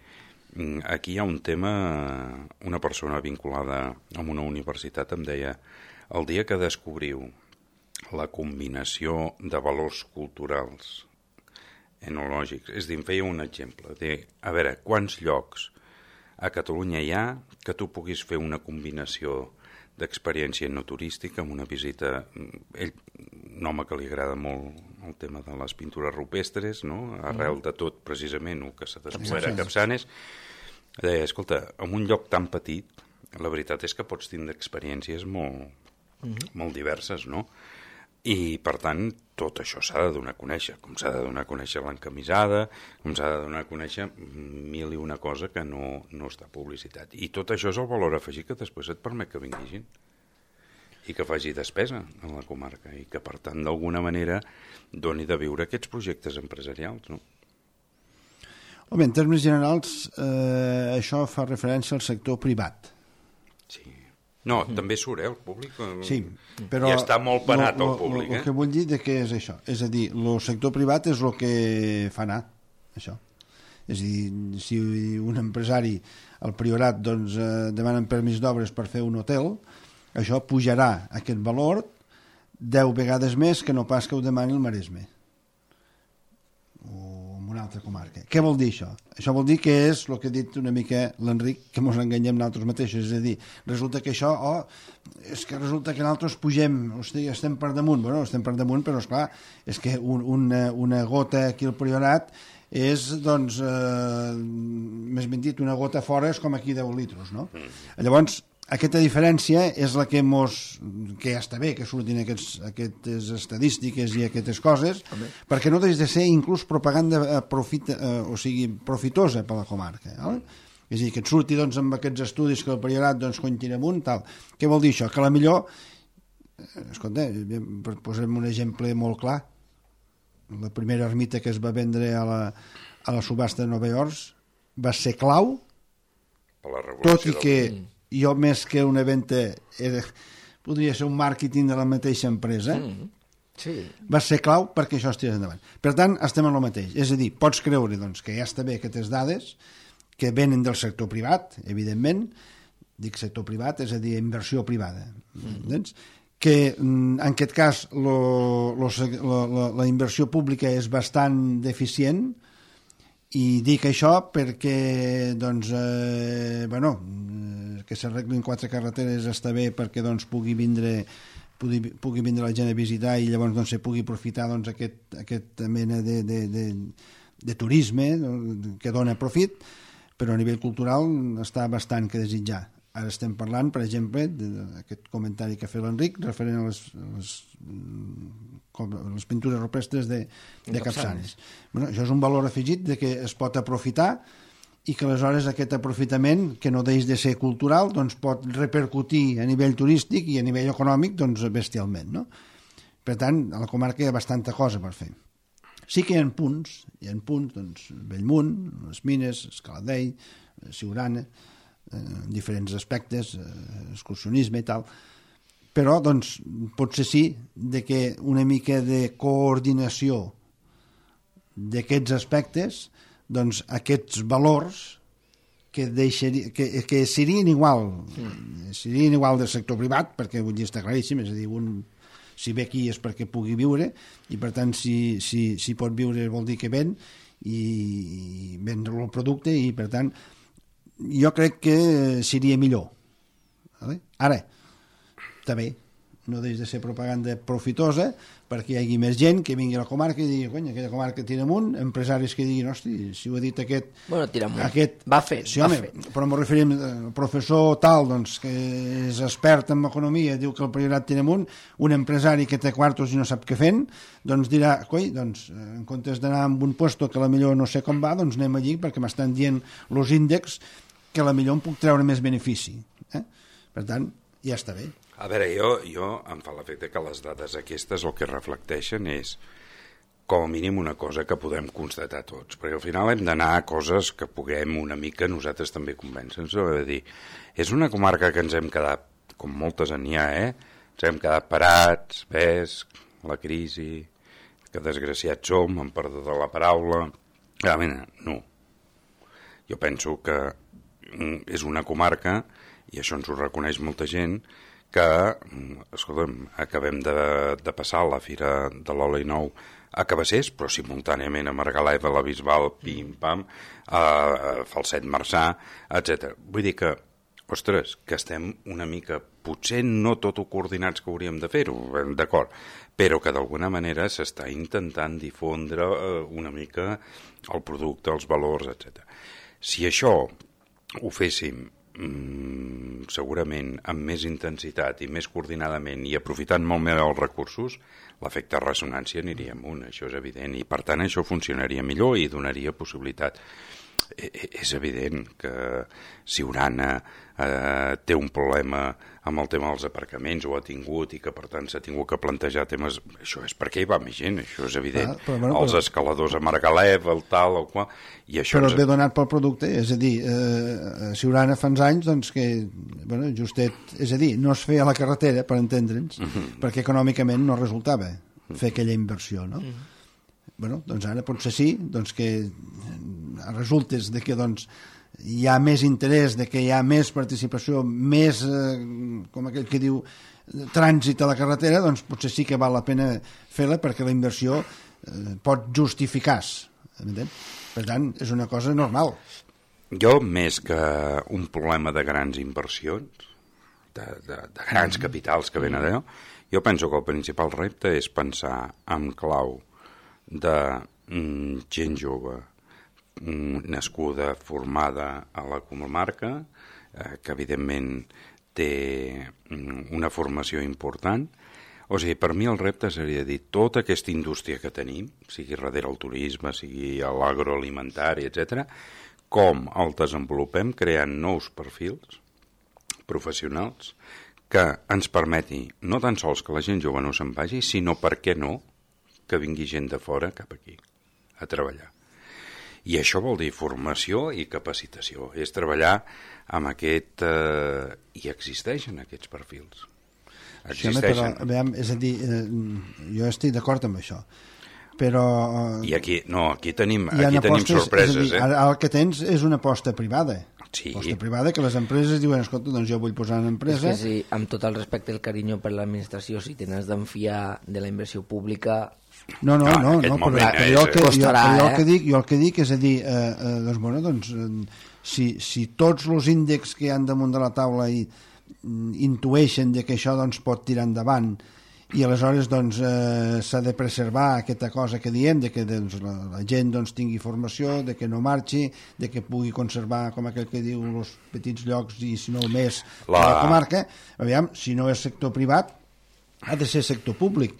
um, aquí hi ha un tema, una persona vinculada amb una universitat em deia, el dia que descobriu la combinació de valors culturals enològics, és a dir, em feia un exemple, de, a veure, quants llocs a Catalunya hi ha que tu puguis fer una combinació d'experiència no turística amb una visita... Ell, un home que li agrada molt el tema de les pintures rupestres, no? Arrel de tot, precisament, el que s'ha descobert a Capçanes, deia, escolta, en un lloc tan petit, la veritat és que pots tindre experiències molt, mm-hmm. molt diverses, no? I, per tant, tot això s'ha de donar a conèixer, com s'ha de donar a conèixer l'encamisada, com s'ha de donar a conèixer mil i una cosa que no, no està publicitat. I tot això és el valor afegit que després et permet que vingui gent i que faci despesa a la comarca i que, per tant, d'alguna manera doni de viure aquests projectes empresarials, no? Home, en termes generals, eh, això fa referència al sector privat. Sí. No, mm. també surt, eh, el públic. Sí, però... I està molt penat lo, lo, el públic, el eh? que vull dir de què és això? És a dir, el sector privat és el que fa anar, això. És a dir, si un empresari al Priorat doncs, eh, demanen permís d'obres per fer un hotel, això pujarà aquest valor deu vegades més que no pas que ho demani el Maresme o en una altra comarca. Què vol dir això? Això vol dir que és el que ha dit una mica l'Enric, que ens enganyem nosaltres mateixos, és a dir, resulta que això, oh, és que resulta que nosaltres pugem, hosti, estem per damunt, bueno, estem per damunt, però esclar, és que un, una, una gota aquí al Priorat és, doncs, eh, més ben dit, una gota fora és com aquí deu litros, no? Llavors, aquesta diferència és la que mos, que ja està bé que surtin aquests, aquestes estadístiques i aquestes coses, okay. perquè no deixa de ser inclús propaganda profit, eh, o sigui, profitosa per la comarca. Eh? És a dir, que et surti doncs, amb aquests estudis que el Priorat doncs, continua amunt, tal. Què vol dir això? Que a la millor, escolta, posem un exemple molt clar, la primera ermita que es va vendre a la, a la subhasta de Nova York va ser clau, tot i que del... jo més que una venda era, podria ser un màrqueting de la mateixa empresa, mm. sí. va ser clau perquè això es tirés endavant. Per tant, estem en el mateix. És a dir, pots creure doncs, que ja està bé aquestes dades que venen del sector privat, evidentment, dic sector privat, és a dir, inversió privada. Mm. Que en aquest cas lo, lo, lo, lo, la inversió pública és bastant deficient. I dic això perquè doncs, eh, bueno, que s'arreglin quatre carreteres està bé perquè doncs, pugui vindre pugui, pugui vindre la gent a visitar i llavors doncs, se pugui aprofitar doncs, aquest, aquesta mena de, de, de, de turisme que dona profit, però a nivell cultural està bastant que desitjar. Ara estem parlant, per exemple, d'aquest comentari que ha fet l'Enric referent a les, les, les pintures rupestres de, de Capçanes. Bueno, això és un valor afegit de que es pot aprofitar i que aleshores aquest aprofitament, que no deix de ser cultural, doncs pot repercutir a nivell turístic i a nivell econòmic doncs, bestialment. No? Per tant, a la comarca hi ha bastanta cosa per fer. Sí que hi ha punts, hi ha punts, doncs, Bellmunt, les Mines, Escaladell, Siurana, eh, diferents aspectes, eh, excursionisme i tal, però, doncs, potser sí de que una mica de coordinació d'aquests aspectes, doncs, aquests valors que, deixaria, que, que serien igual, mm. serien igual del sector privat, perquè vull dir, està claríssim, és a dir, un, si ve aquí és perquè pugui viure, i per tant, si, si, si pot viure vol dir que ven, i, i vendre el producte, i per tant, jo crec que seria millor. Vale? Ara, també, no deix de ser propaganda profitosa perquè hi hagi més gent que vingui a la comarca i digui, cony, aquella comarca tira amunt, empresaris que diguin, hosti, si ho ha dit aquest... Bueno, tira amunt, aquest, va fent, sí, va home, fent. Però m'ho referim al professor tal, doncs, que és expert en economia, diu que el priorat tira amunt, un empresari que té quartos i no sap què fent, doncs dirà, coi, doncs, en comptes d'anar amb un puesto que a la millor no sé com va, doncs anem allí perquè m'estan dient els índexs que a la millor em puc treure més benefici. Eh? Per tant, ja està bé. A veure, jo, jo em fa l'efecte que les dades aquestes el que reflecteixen és com a mínim una cosa que podem constatar tots, perquè al final hem d'anar a coses que puguem una mica nosaltres també convèncer-nos, és a dir, és una comarca que ens hem quedat, com moltes en hi ha, eh? Ens hem quedat parats, ves, la crisi, que desgraciats som, em perdó de la paraula, realment no. Jo penso que és una comarca, i això ens ho reconeix molta gent, que, escolta'm, acabem de, de passar la Fira de l'Oli Nou a Cabassers, però simultàniament a Margalef, a la Bisbal, pim-pam, a, a Falset Marçà, etcètera. Vull dir que, ostres, que estem una mica, potser no tot ho coordinats que hauríem de fer-ho, d'acord, però que d'alguna manera s'està intentant difondre una mica el producte, els valors, etcètera. Si això ho féssim Mm, segurament amb més intensitat i més coordinadament i aprofitant molt més els recursos, l'efecte ressonància aniria amunt, això és evident, i per tant això funcionaria millor i donaria possibilitat. E és evident que Siurana eh, té un problema amb el tema dels aparcaments, ho ha tingut, i que per tant s'ha tingut que plantejar temes... Això és perquè hi va més gent, això és evident. Ah, però, bueno, els però... escaladors a Margalef, el tal, el qual... I això però ens... ve donat pel producte, és a dir, eh, Siurana fa uns anys doncs, que, bueno, justet, és a dir, no es feia la carretera, per entendre'ns, uh -huh. perquè econòmicament no resultava fer aquella inversió, no? Uh -huh. Bueno, doncs ara potser sí, doncs que resultes de que doncs, hi ha més interès, de que hi ha més participació, més, eh, com aquell que diu, trànsit a la carretera, doncs potser sí que val la pena fer-la perquè la inversió eh, pot justificar-se. Per tant, és una cosa normal. Jo, més que un problema de grans inversions, de, de, de grans capitals que venen d'allò, jo penso que el principal repte és pensar en clau de mm, gent jove mm, nascuda, formada a la comarca, eh, que evidentment té mm, una formació important. O sigui, per mi el repte seria dir tota aquesta indústria que tenim, sigui darrere el turisme, sigui l'agroalimentari, etcètera, com el desenvolupem creant nous perfils professionals que ens permeti no tan sols que la gent jove no se'n vagi, sinó, per què no, que vingui gent de fora cap aquí a treballar. I això vol dir formació i capacitació, és treballar amb aquest... Eh, i existeixen aquests perfils. Existeixen. Sí, però, veiem, és a dir, eh, jo estic d'acord amb això, però... I aquí, no, aquí tenim, aquí tenim apostes, sorpreses, dir, eh? Ara el que tens és una aposta privada. Sí. Aposta privada que les empreses diuen, escolta, doncs jo vull posar una empresa... És que sí, amb tot el respecte i el carinyo per l'administració, si tens d'enfiar de la inversió pública... No, no, no, no, no però, però jo, el que, costarà, jo, jo, eh? el que dic, jo el que dic és a dir, eh, eh, doncs, bueno, doncs, eh, si, si tots els índexs que hi ha damunt de la taula i, mm, intueixen de que això doncs, pot tirar endavant i aleshores doncs, eh, s'ha de preservar aquesta cosa que diem, de que doncs, la, la gent doncs, tingui formació, de que no marxi, de que pugui conservar, com aquell que diu, els petits llocs i si no més la, la comarca. Aviam, si no és sector privat, ha de ser sector públic.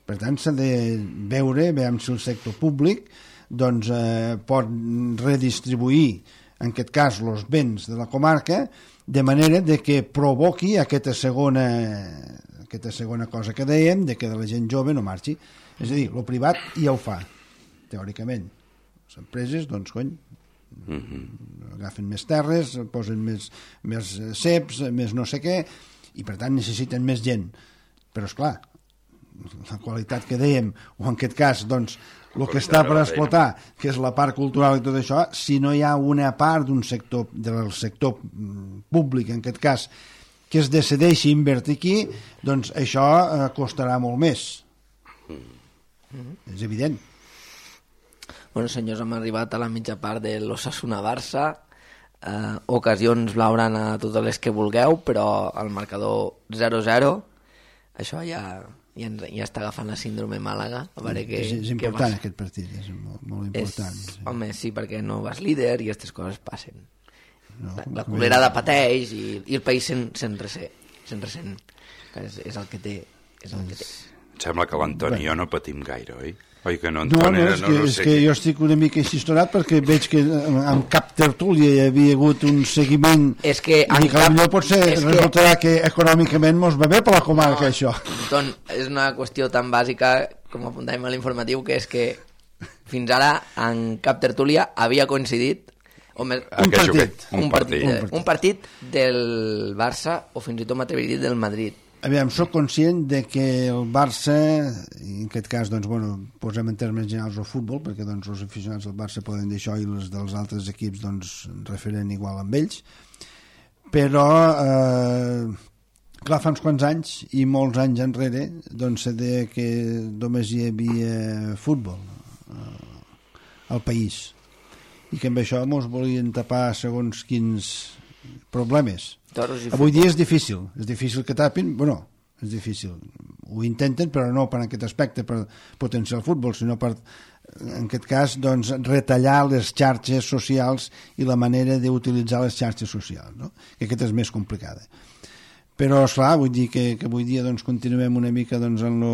Per tant, s'ha de veure, veiem si el sector públic doncs, eh, pot redistribuir, en aquest cas, els béns de la comarca, de manera de que provoqui aquesta segona, aquesta segona cosa que dèiem, de que la gent jove no marxi. És a dir, el privat ja ho fa. teòricament. Les empreses, doncs, cony, mm-hmm. agafen més terres, posen més, més ceps, més no sé què, i per tant necessiten més gent. Però, esclar, la qualitat que dèiem, o en aquest cas, doncs, el que està per explotar, que és la part cultural i tot això, si no hi ha una part d'un sector, del sector públic, en aquest cas, que es decideixi invertir aquí, doncs això eh, costarà molt més. Mm-hmm. És evident. Bueno, senyors, hem arribat a la mitja part de l'Osasuna-Barça. Eh, ocasions blaugrana a totes les que vulgueu, però el marcador zero zero, això ja, ja, ja està agafant la síndrome Màlaga. A veure que, és, és important vas... aquest partit, és molt, molt important. És, sí. Home, sí, perquè no vas líder i aquestes coses passen. No, la, la culerada pateix i, i el país se'n, se'n ressent. Se'n ressent. És, és el que té. És el que té. Em sembla que l'Antoni i jo no patim gaire, oi? Oi que no, no, no, és, no, que, no és que jo estic una mica xistonat perquè veig que en cap tertúlia hi havia hagut un seguiment és que i que cap... potser potser resultarà que... que econòmicament mos va bé per la comarca, no, això. Don, és una qüestió tan bàsica com apuntàvem a l'informatiu, que és que fins ara en cap tertúlia havia coincidit o més, un, partit, un, partit, un, partit. un partit del Barça o fins i tot m'atreviria a dir del Madrid. Aviam, soc conscient de que el Barça, en aquest cas, doncs, bueno, posem en termes generals el futbol, perquè doncs, els aficionats del Barça poden dir això i els dels altres equips doncs, referen igual amb ells, però, eh, clar, fa uns quants anys, i molts anys enrere, doncs se deia que només hi havia futbol eh, al país, i que amb això mos volien tapar segons quins problemes. Avui dia és difícil, és difícil que tapin, bueno, és difícil, ho intenten, però no per aquest aspecte, per potenciar el futbol, sinó per, en aquest cas, doncs, retallar les xarxes socials i la manera d'utilitzar les xarxes socials, no? Que aquesta és més complicada. Però, esclar, vull dir que, que avui dia doncs, continuem una mica doncs, en, lo,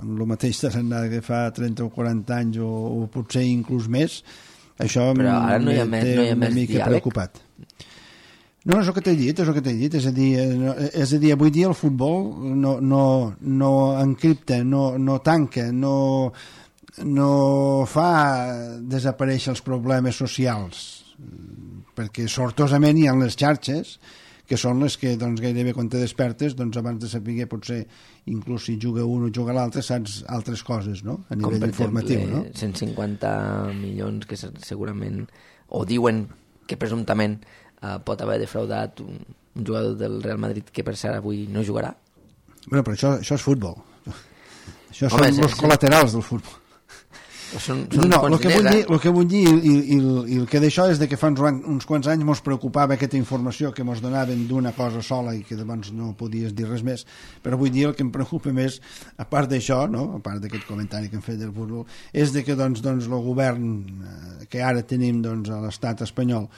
en lo mateix tarannà que fa trenta o quaranta anys, o, o potser inclús més, això però ara no hi ha més, no hi ha una més mica diàleg. Preocupat. No, és el que t'he dit, és el que t'he dit, és a dir, és a dir, avui dia el futbol no, no, no encripta, no, no tanca, no, no fa desaparèixer els problemes socials, perquè sortosament hi ha les xarxes, que són les que doncs, gairebé quan te despertes, doncs, abans de saber potser inclús si juga un o juga l'altre, saps altres coses, no? A nivell informatiu, exemple, no? cent cinquanta milions que segurament, o diuen que presumptament Uh, pot haver defraudat un, un jugador del Real Madrid que per cert avui no jugarà. Bueno, però això, això és futbol. Això Home, són els col·laterals del futbol. Són, són no, el que, vull eh? dir, el que vull dir i, i, i el que d'això és de que fa uns, uns quants anys mos preocupava aquesta informació que mos donaven d'una cosa sola i que llavors no podies dir res més, però vull dir el que em preocupa més, a part d'això, no? A part d'aquest comentari que hem fet del futbol, és de que doncs, doncs, el govern que ara tenim doncs, a l'estat espanyol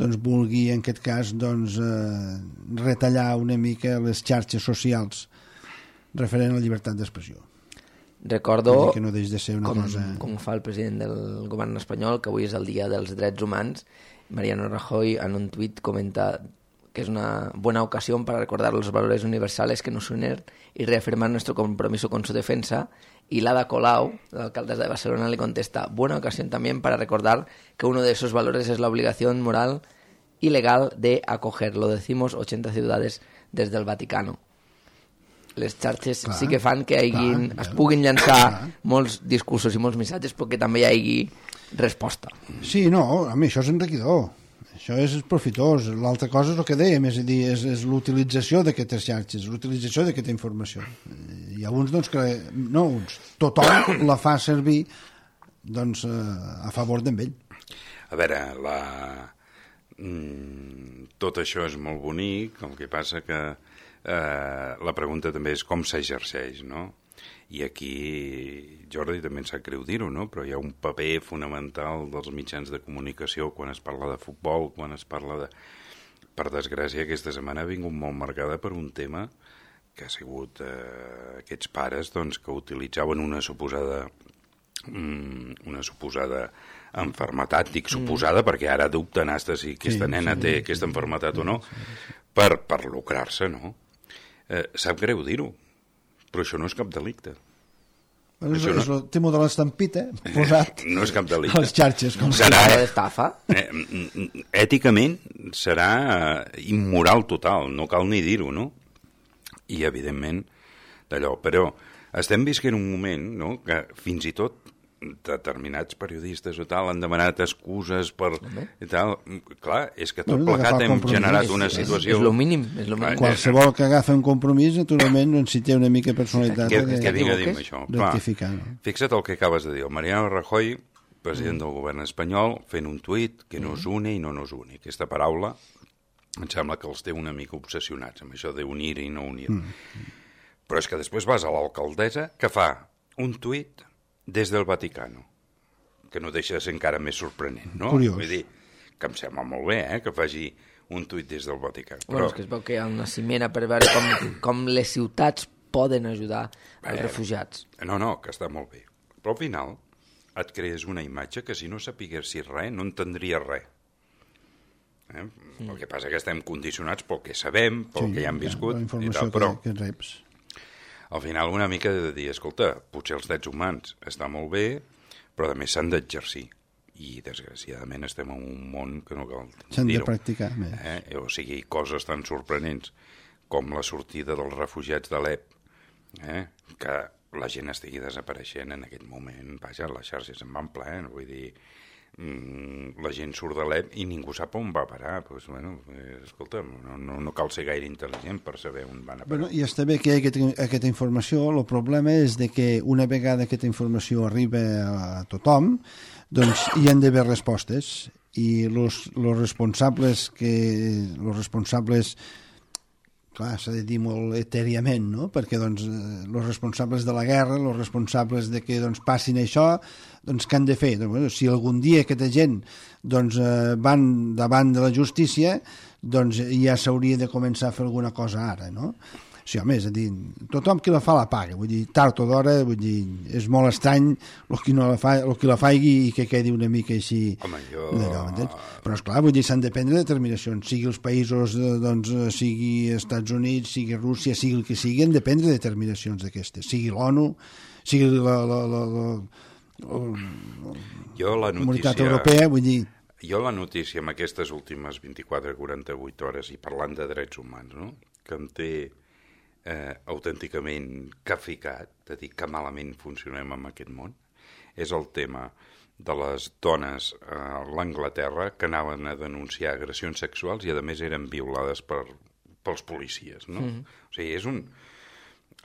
doncs vulgui en aquest cas doncs, eh, retallar una mica les xarxes socials referent a la llibertat d'expressió. Recordo, que no deixi de ser una com, cosa... com fa el president del govern espanyol, que avui és el dia dels drets humans, Mariano Rajoy en un tuit comenta que es una buena ocasión para recordar los valores universales que nos unen y reafirmar nuestro compromiso con su defensa. Y Lada Colau, la alcaldesa de Barcelona, le contesta: buena ocasión también para recordar que uno de esos valores es la obligación moral y legal de acoger. Lo decimos ochenta ciudades desde el Vaticano. Les xarxes clar, sí que fan que hagin, clar, es puguin llançar clar. molts discursos i molts missatges, però que també hi hagi resposta. Sí, no, a mi això és enriquidor. Això és profitós. L'altra cosa és el que dèiem, és a dir, és, és l'utilització d'aquestes xarxes, l'utilització d'aquesta informació. Hi ha uns, doncs, que... No uns. Tothom la fa servir, doncs, a favor d'en ell. A veure, la... Mm, tot això és molt bonic, el que passa que eh, la pregunta també és com s'exerceix, no? I aquí, Jordi, també em sap greu dir-ho, no? Però hi ha un paper fonamental dels mitjans de comunicació quan es parla de futbol, quan es parla de... Per desgràcia, aquesta setmana ha vingut molt marcada per un tema que ha sigut eh, aquests pares doncs, que utilitzaven una suposada mm, una suposada enfermetat, dic suposada, mm. perquè ara dubten hasta si aquesta sí, nena sí, té sí, aquesta enfermetat sí, o no, per, per lucrar-se, no? Eh, sap greu dir-ho, però això no és cap delicte. Bueno, és, és el tema de l'estampita posat no és cap delicte. a les xarxes. Com serà, d'estafa. Eh, èticament serà immoral total, no cal ni dir-ho, no? I, evidentment, d'allò. Però estem visquent un moment, no?, que fins i tot determinats periodistes o tal han demanat excuses per... I tal. Clar, és que tot bueno, plegat hem generat és, una és, situació... És lo mínim. És lo mínim. Qualsevol que agafa un compromís, naturalment, doncs, si té una mica personalitat... Que, que, que vinga a dir-me això. Rectificar, no? Fixa't el que acabes de dir. El Mariano Rajoy, president mm. del govern espanyol, fent un tuit que nos une i no nos une. Aquesta paraula em sembla que els té una mica obsessionats amb això d'unir i no unir. Mm. Però és que després vas a l'alcaldessa que fa un tuit des del Vaticano, que no deixa de ser encara més sorprenent, no? Curiós. Vull dir, que em sembla molt bé, eh?, que faci un tuit des del Vaticà. Però... Bueno, és que es veu que hi ha una cimera per veure com, com les ciutats poden ajudar els Bé, refugiats. No, no, que està molt bé. Però al final et crees una imatge que si no sapiguessis res, no entendries res. Eh? Mm. El que passa que estem condicionats pel que sabem, pel sí, que ja hem viscut, la informació i tal, però... que, que reps. Al final una mica de dir, escolta, potser els drets humans està molt bé, però a més s'han d'exercir. I desgraciadament estem en un món que no cal dir-ho. S'han de practicar més. Eh? O sigui, coses tan sorprenents com la sortida dels refugiats d'Alep, eh? que la gent estigui desapareixent en aquest moment. Vaja, les xarxes en van ple, vull dir... la gent surt de l'E P i ningú sap on va parar. Pues, bueno, eh, escolta, no, no, no cal ser gaire intel·ligent per saber on van a parar. Bueno, i està bé que hi ha aquesta, aquesta informació. El problema és de que una vegada aquesta informació arriba a tothom, doncs hi han d'haver respostes i los, los responsables que los responsables clar, s'ha de dir molt etèriament, no? Perquè doncs, els responsables de la guerra, els responsables de que doncs, passin això, doncs què han de fer? Doncs, bueno, si algun dia aquesta gent doncs, eh, van davant de la justícia, doncs ja s'hauria de començar a fer alguna cosa ara, no? Sí, home, és a dir, tothom qui la fa la paga, vull dir, tard o d'hora, vull dir, és molt estrany el qui, no la fa, el qui la faigui i que quedi una mica així... Home, jo... Però, esclar, vull dir, s'han de prendre determinacions, sigui els països, doncs, sigui Estats Units, sigui Rússia, sigui el que sigui, han de prendre determinacions d'aquestes, sigui l'ONU, sigui la, la, la, la, la, jo la notícia... Comunitat Europea, vull dir... Jo la notícia amb aquestes últimes vint-i-quatre a quaranta-vuit hores i parlant de drets humans, no?, que em té... Eh, autènticament caficat, de dir que malament funcionem en aquest món, és el tema de les dones a l'Anglaterra que anaven a denunciar agressions sexuals i a més eren violades per, pels policies, no? Mm. O sigui, és un...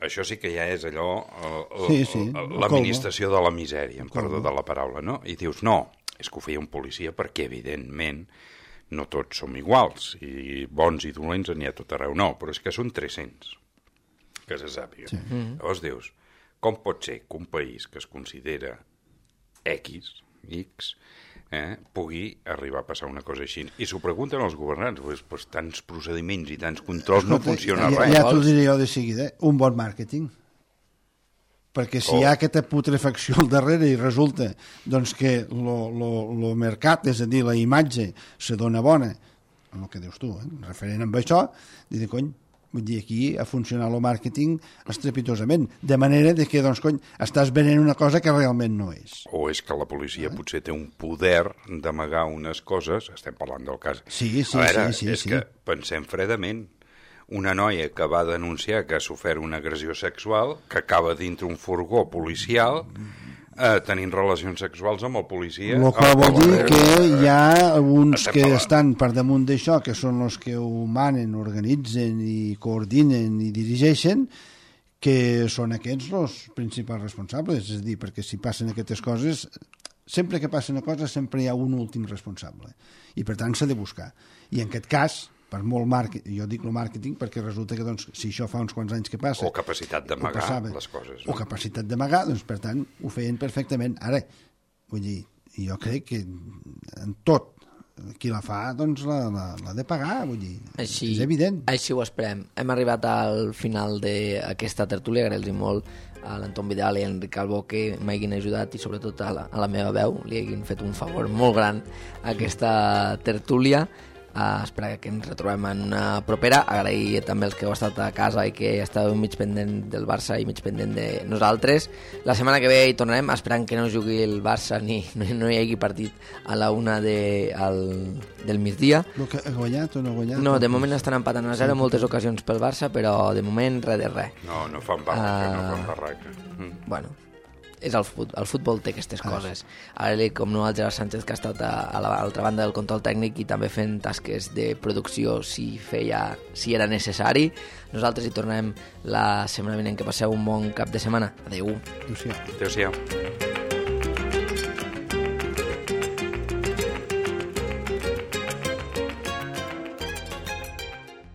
Això sí que ja és allò, el, sí, sí, l'administració de la misèria, em perdó de la paraula, no? I dius, no, és que ho feia un policia perquè, evidentment, no tots som iguals, i bons i dolents n'hi ha tot arreu, no, però és que són tres-cents. Que se sàpiga. Sí. Mm-hmm. Llavors dius, com pot ser que un país que es considera X, X, eh, pugui arribar a passar una cosa així? I s'ho pregunten els governants, pues, pues, tants procediments i tants controls no funciona ja, res. Ja t'ho diré jo de seguida, un bon màrqueting. Perquè si oh. hi ha aquesta putrefacció al darrere i resulta doncs, que el mercat, és a dir, la imatge, se dona bona, amb el que dius tu, eh, referent amb això, dir, cony, vull dir, aquí ha funcionat el màrqueting estrepitosament, de manera de que, doncs, cony, estàs venent una cosa que realment no és. O és que la policia eh? potser té un poder d'amagar unes coses, estem parlant del cas. Sí, sí, a veure, sí, sí. és sí. que pensem fredament, una noia que va denunciar que ha sofert una agressió sexual, que acaba dintre un furgó policial, eh, tenint relacions sexuals amb el policia... El que vol dir que hi ha alguns estem que parlant. estan per damunt d'això, que són els que ho manen, organitzen i coordinen i dirigeixen, que són aquests els principals responsables. És a dir, perquè si passen aquestes coses, sempre que passa una cosa sempre hi ha un últim responsable. I per tant s'ha de buscar. I en aquest cas... per molt màrqueting, jo dic el màrqueting perquè resulta que doncs, si això fa uns quants anys que passa... O capacitat d'amagar les coses. No? O capacitat d'amagar, doncs per tant ho feien perfectament. Ara, vull dir, jo crec que en tot qui la fa doncs l'ha la, la de pagar, vull dir, així, és evident. Així ho esperem. Hem arribat al final d'aquesta tertúlia, agrair-los molt a l'Anton Vidal i a l'Enric Calvo que m'hagin ajudat i sobretot a la, a la meva veu li hagin fet un favor molt gran a aquesta tertúlia. Uh, esperar que ens retrobem en una propera. Agrair també els que heu estat a casa i que estàveu mig pendent del Barça i mig pendent de nosaltres. La setmana que ve hi tornarem, esperant que no jugui el Barça ni no, no hi hagi partit a la una de, al, del migdia. Que ha guanyat o no ha guanyat? No, de moment estan empatant a zero en moltes ocasions pel Barça, però de moment res de res. No, no fan barraca, uh, no fan barraca. Mm. Bueno, és el futbol, el futbol té aquestes ah, coses. Ara, com no, el Gerard Sánchez, que ha estat a, a l'altra banda del control tècnic i també fent tasques de producció si feia, si era necessari. Nosaltres hi tornem la setmana vinent. Que passeu un bon cap de setmana. Adéu. Adéu-siau. Adéu-siau.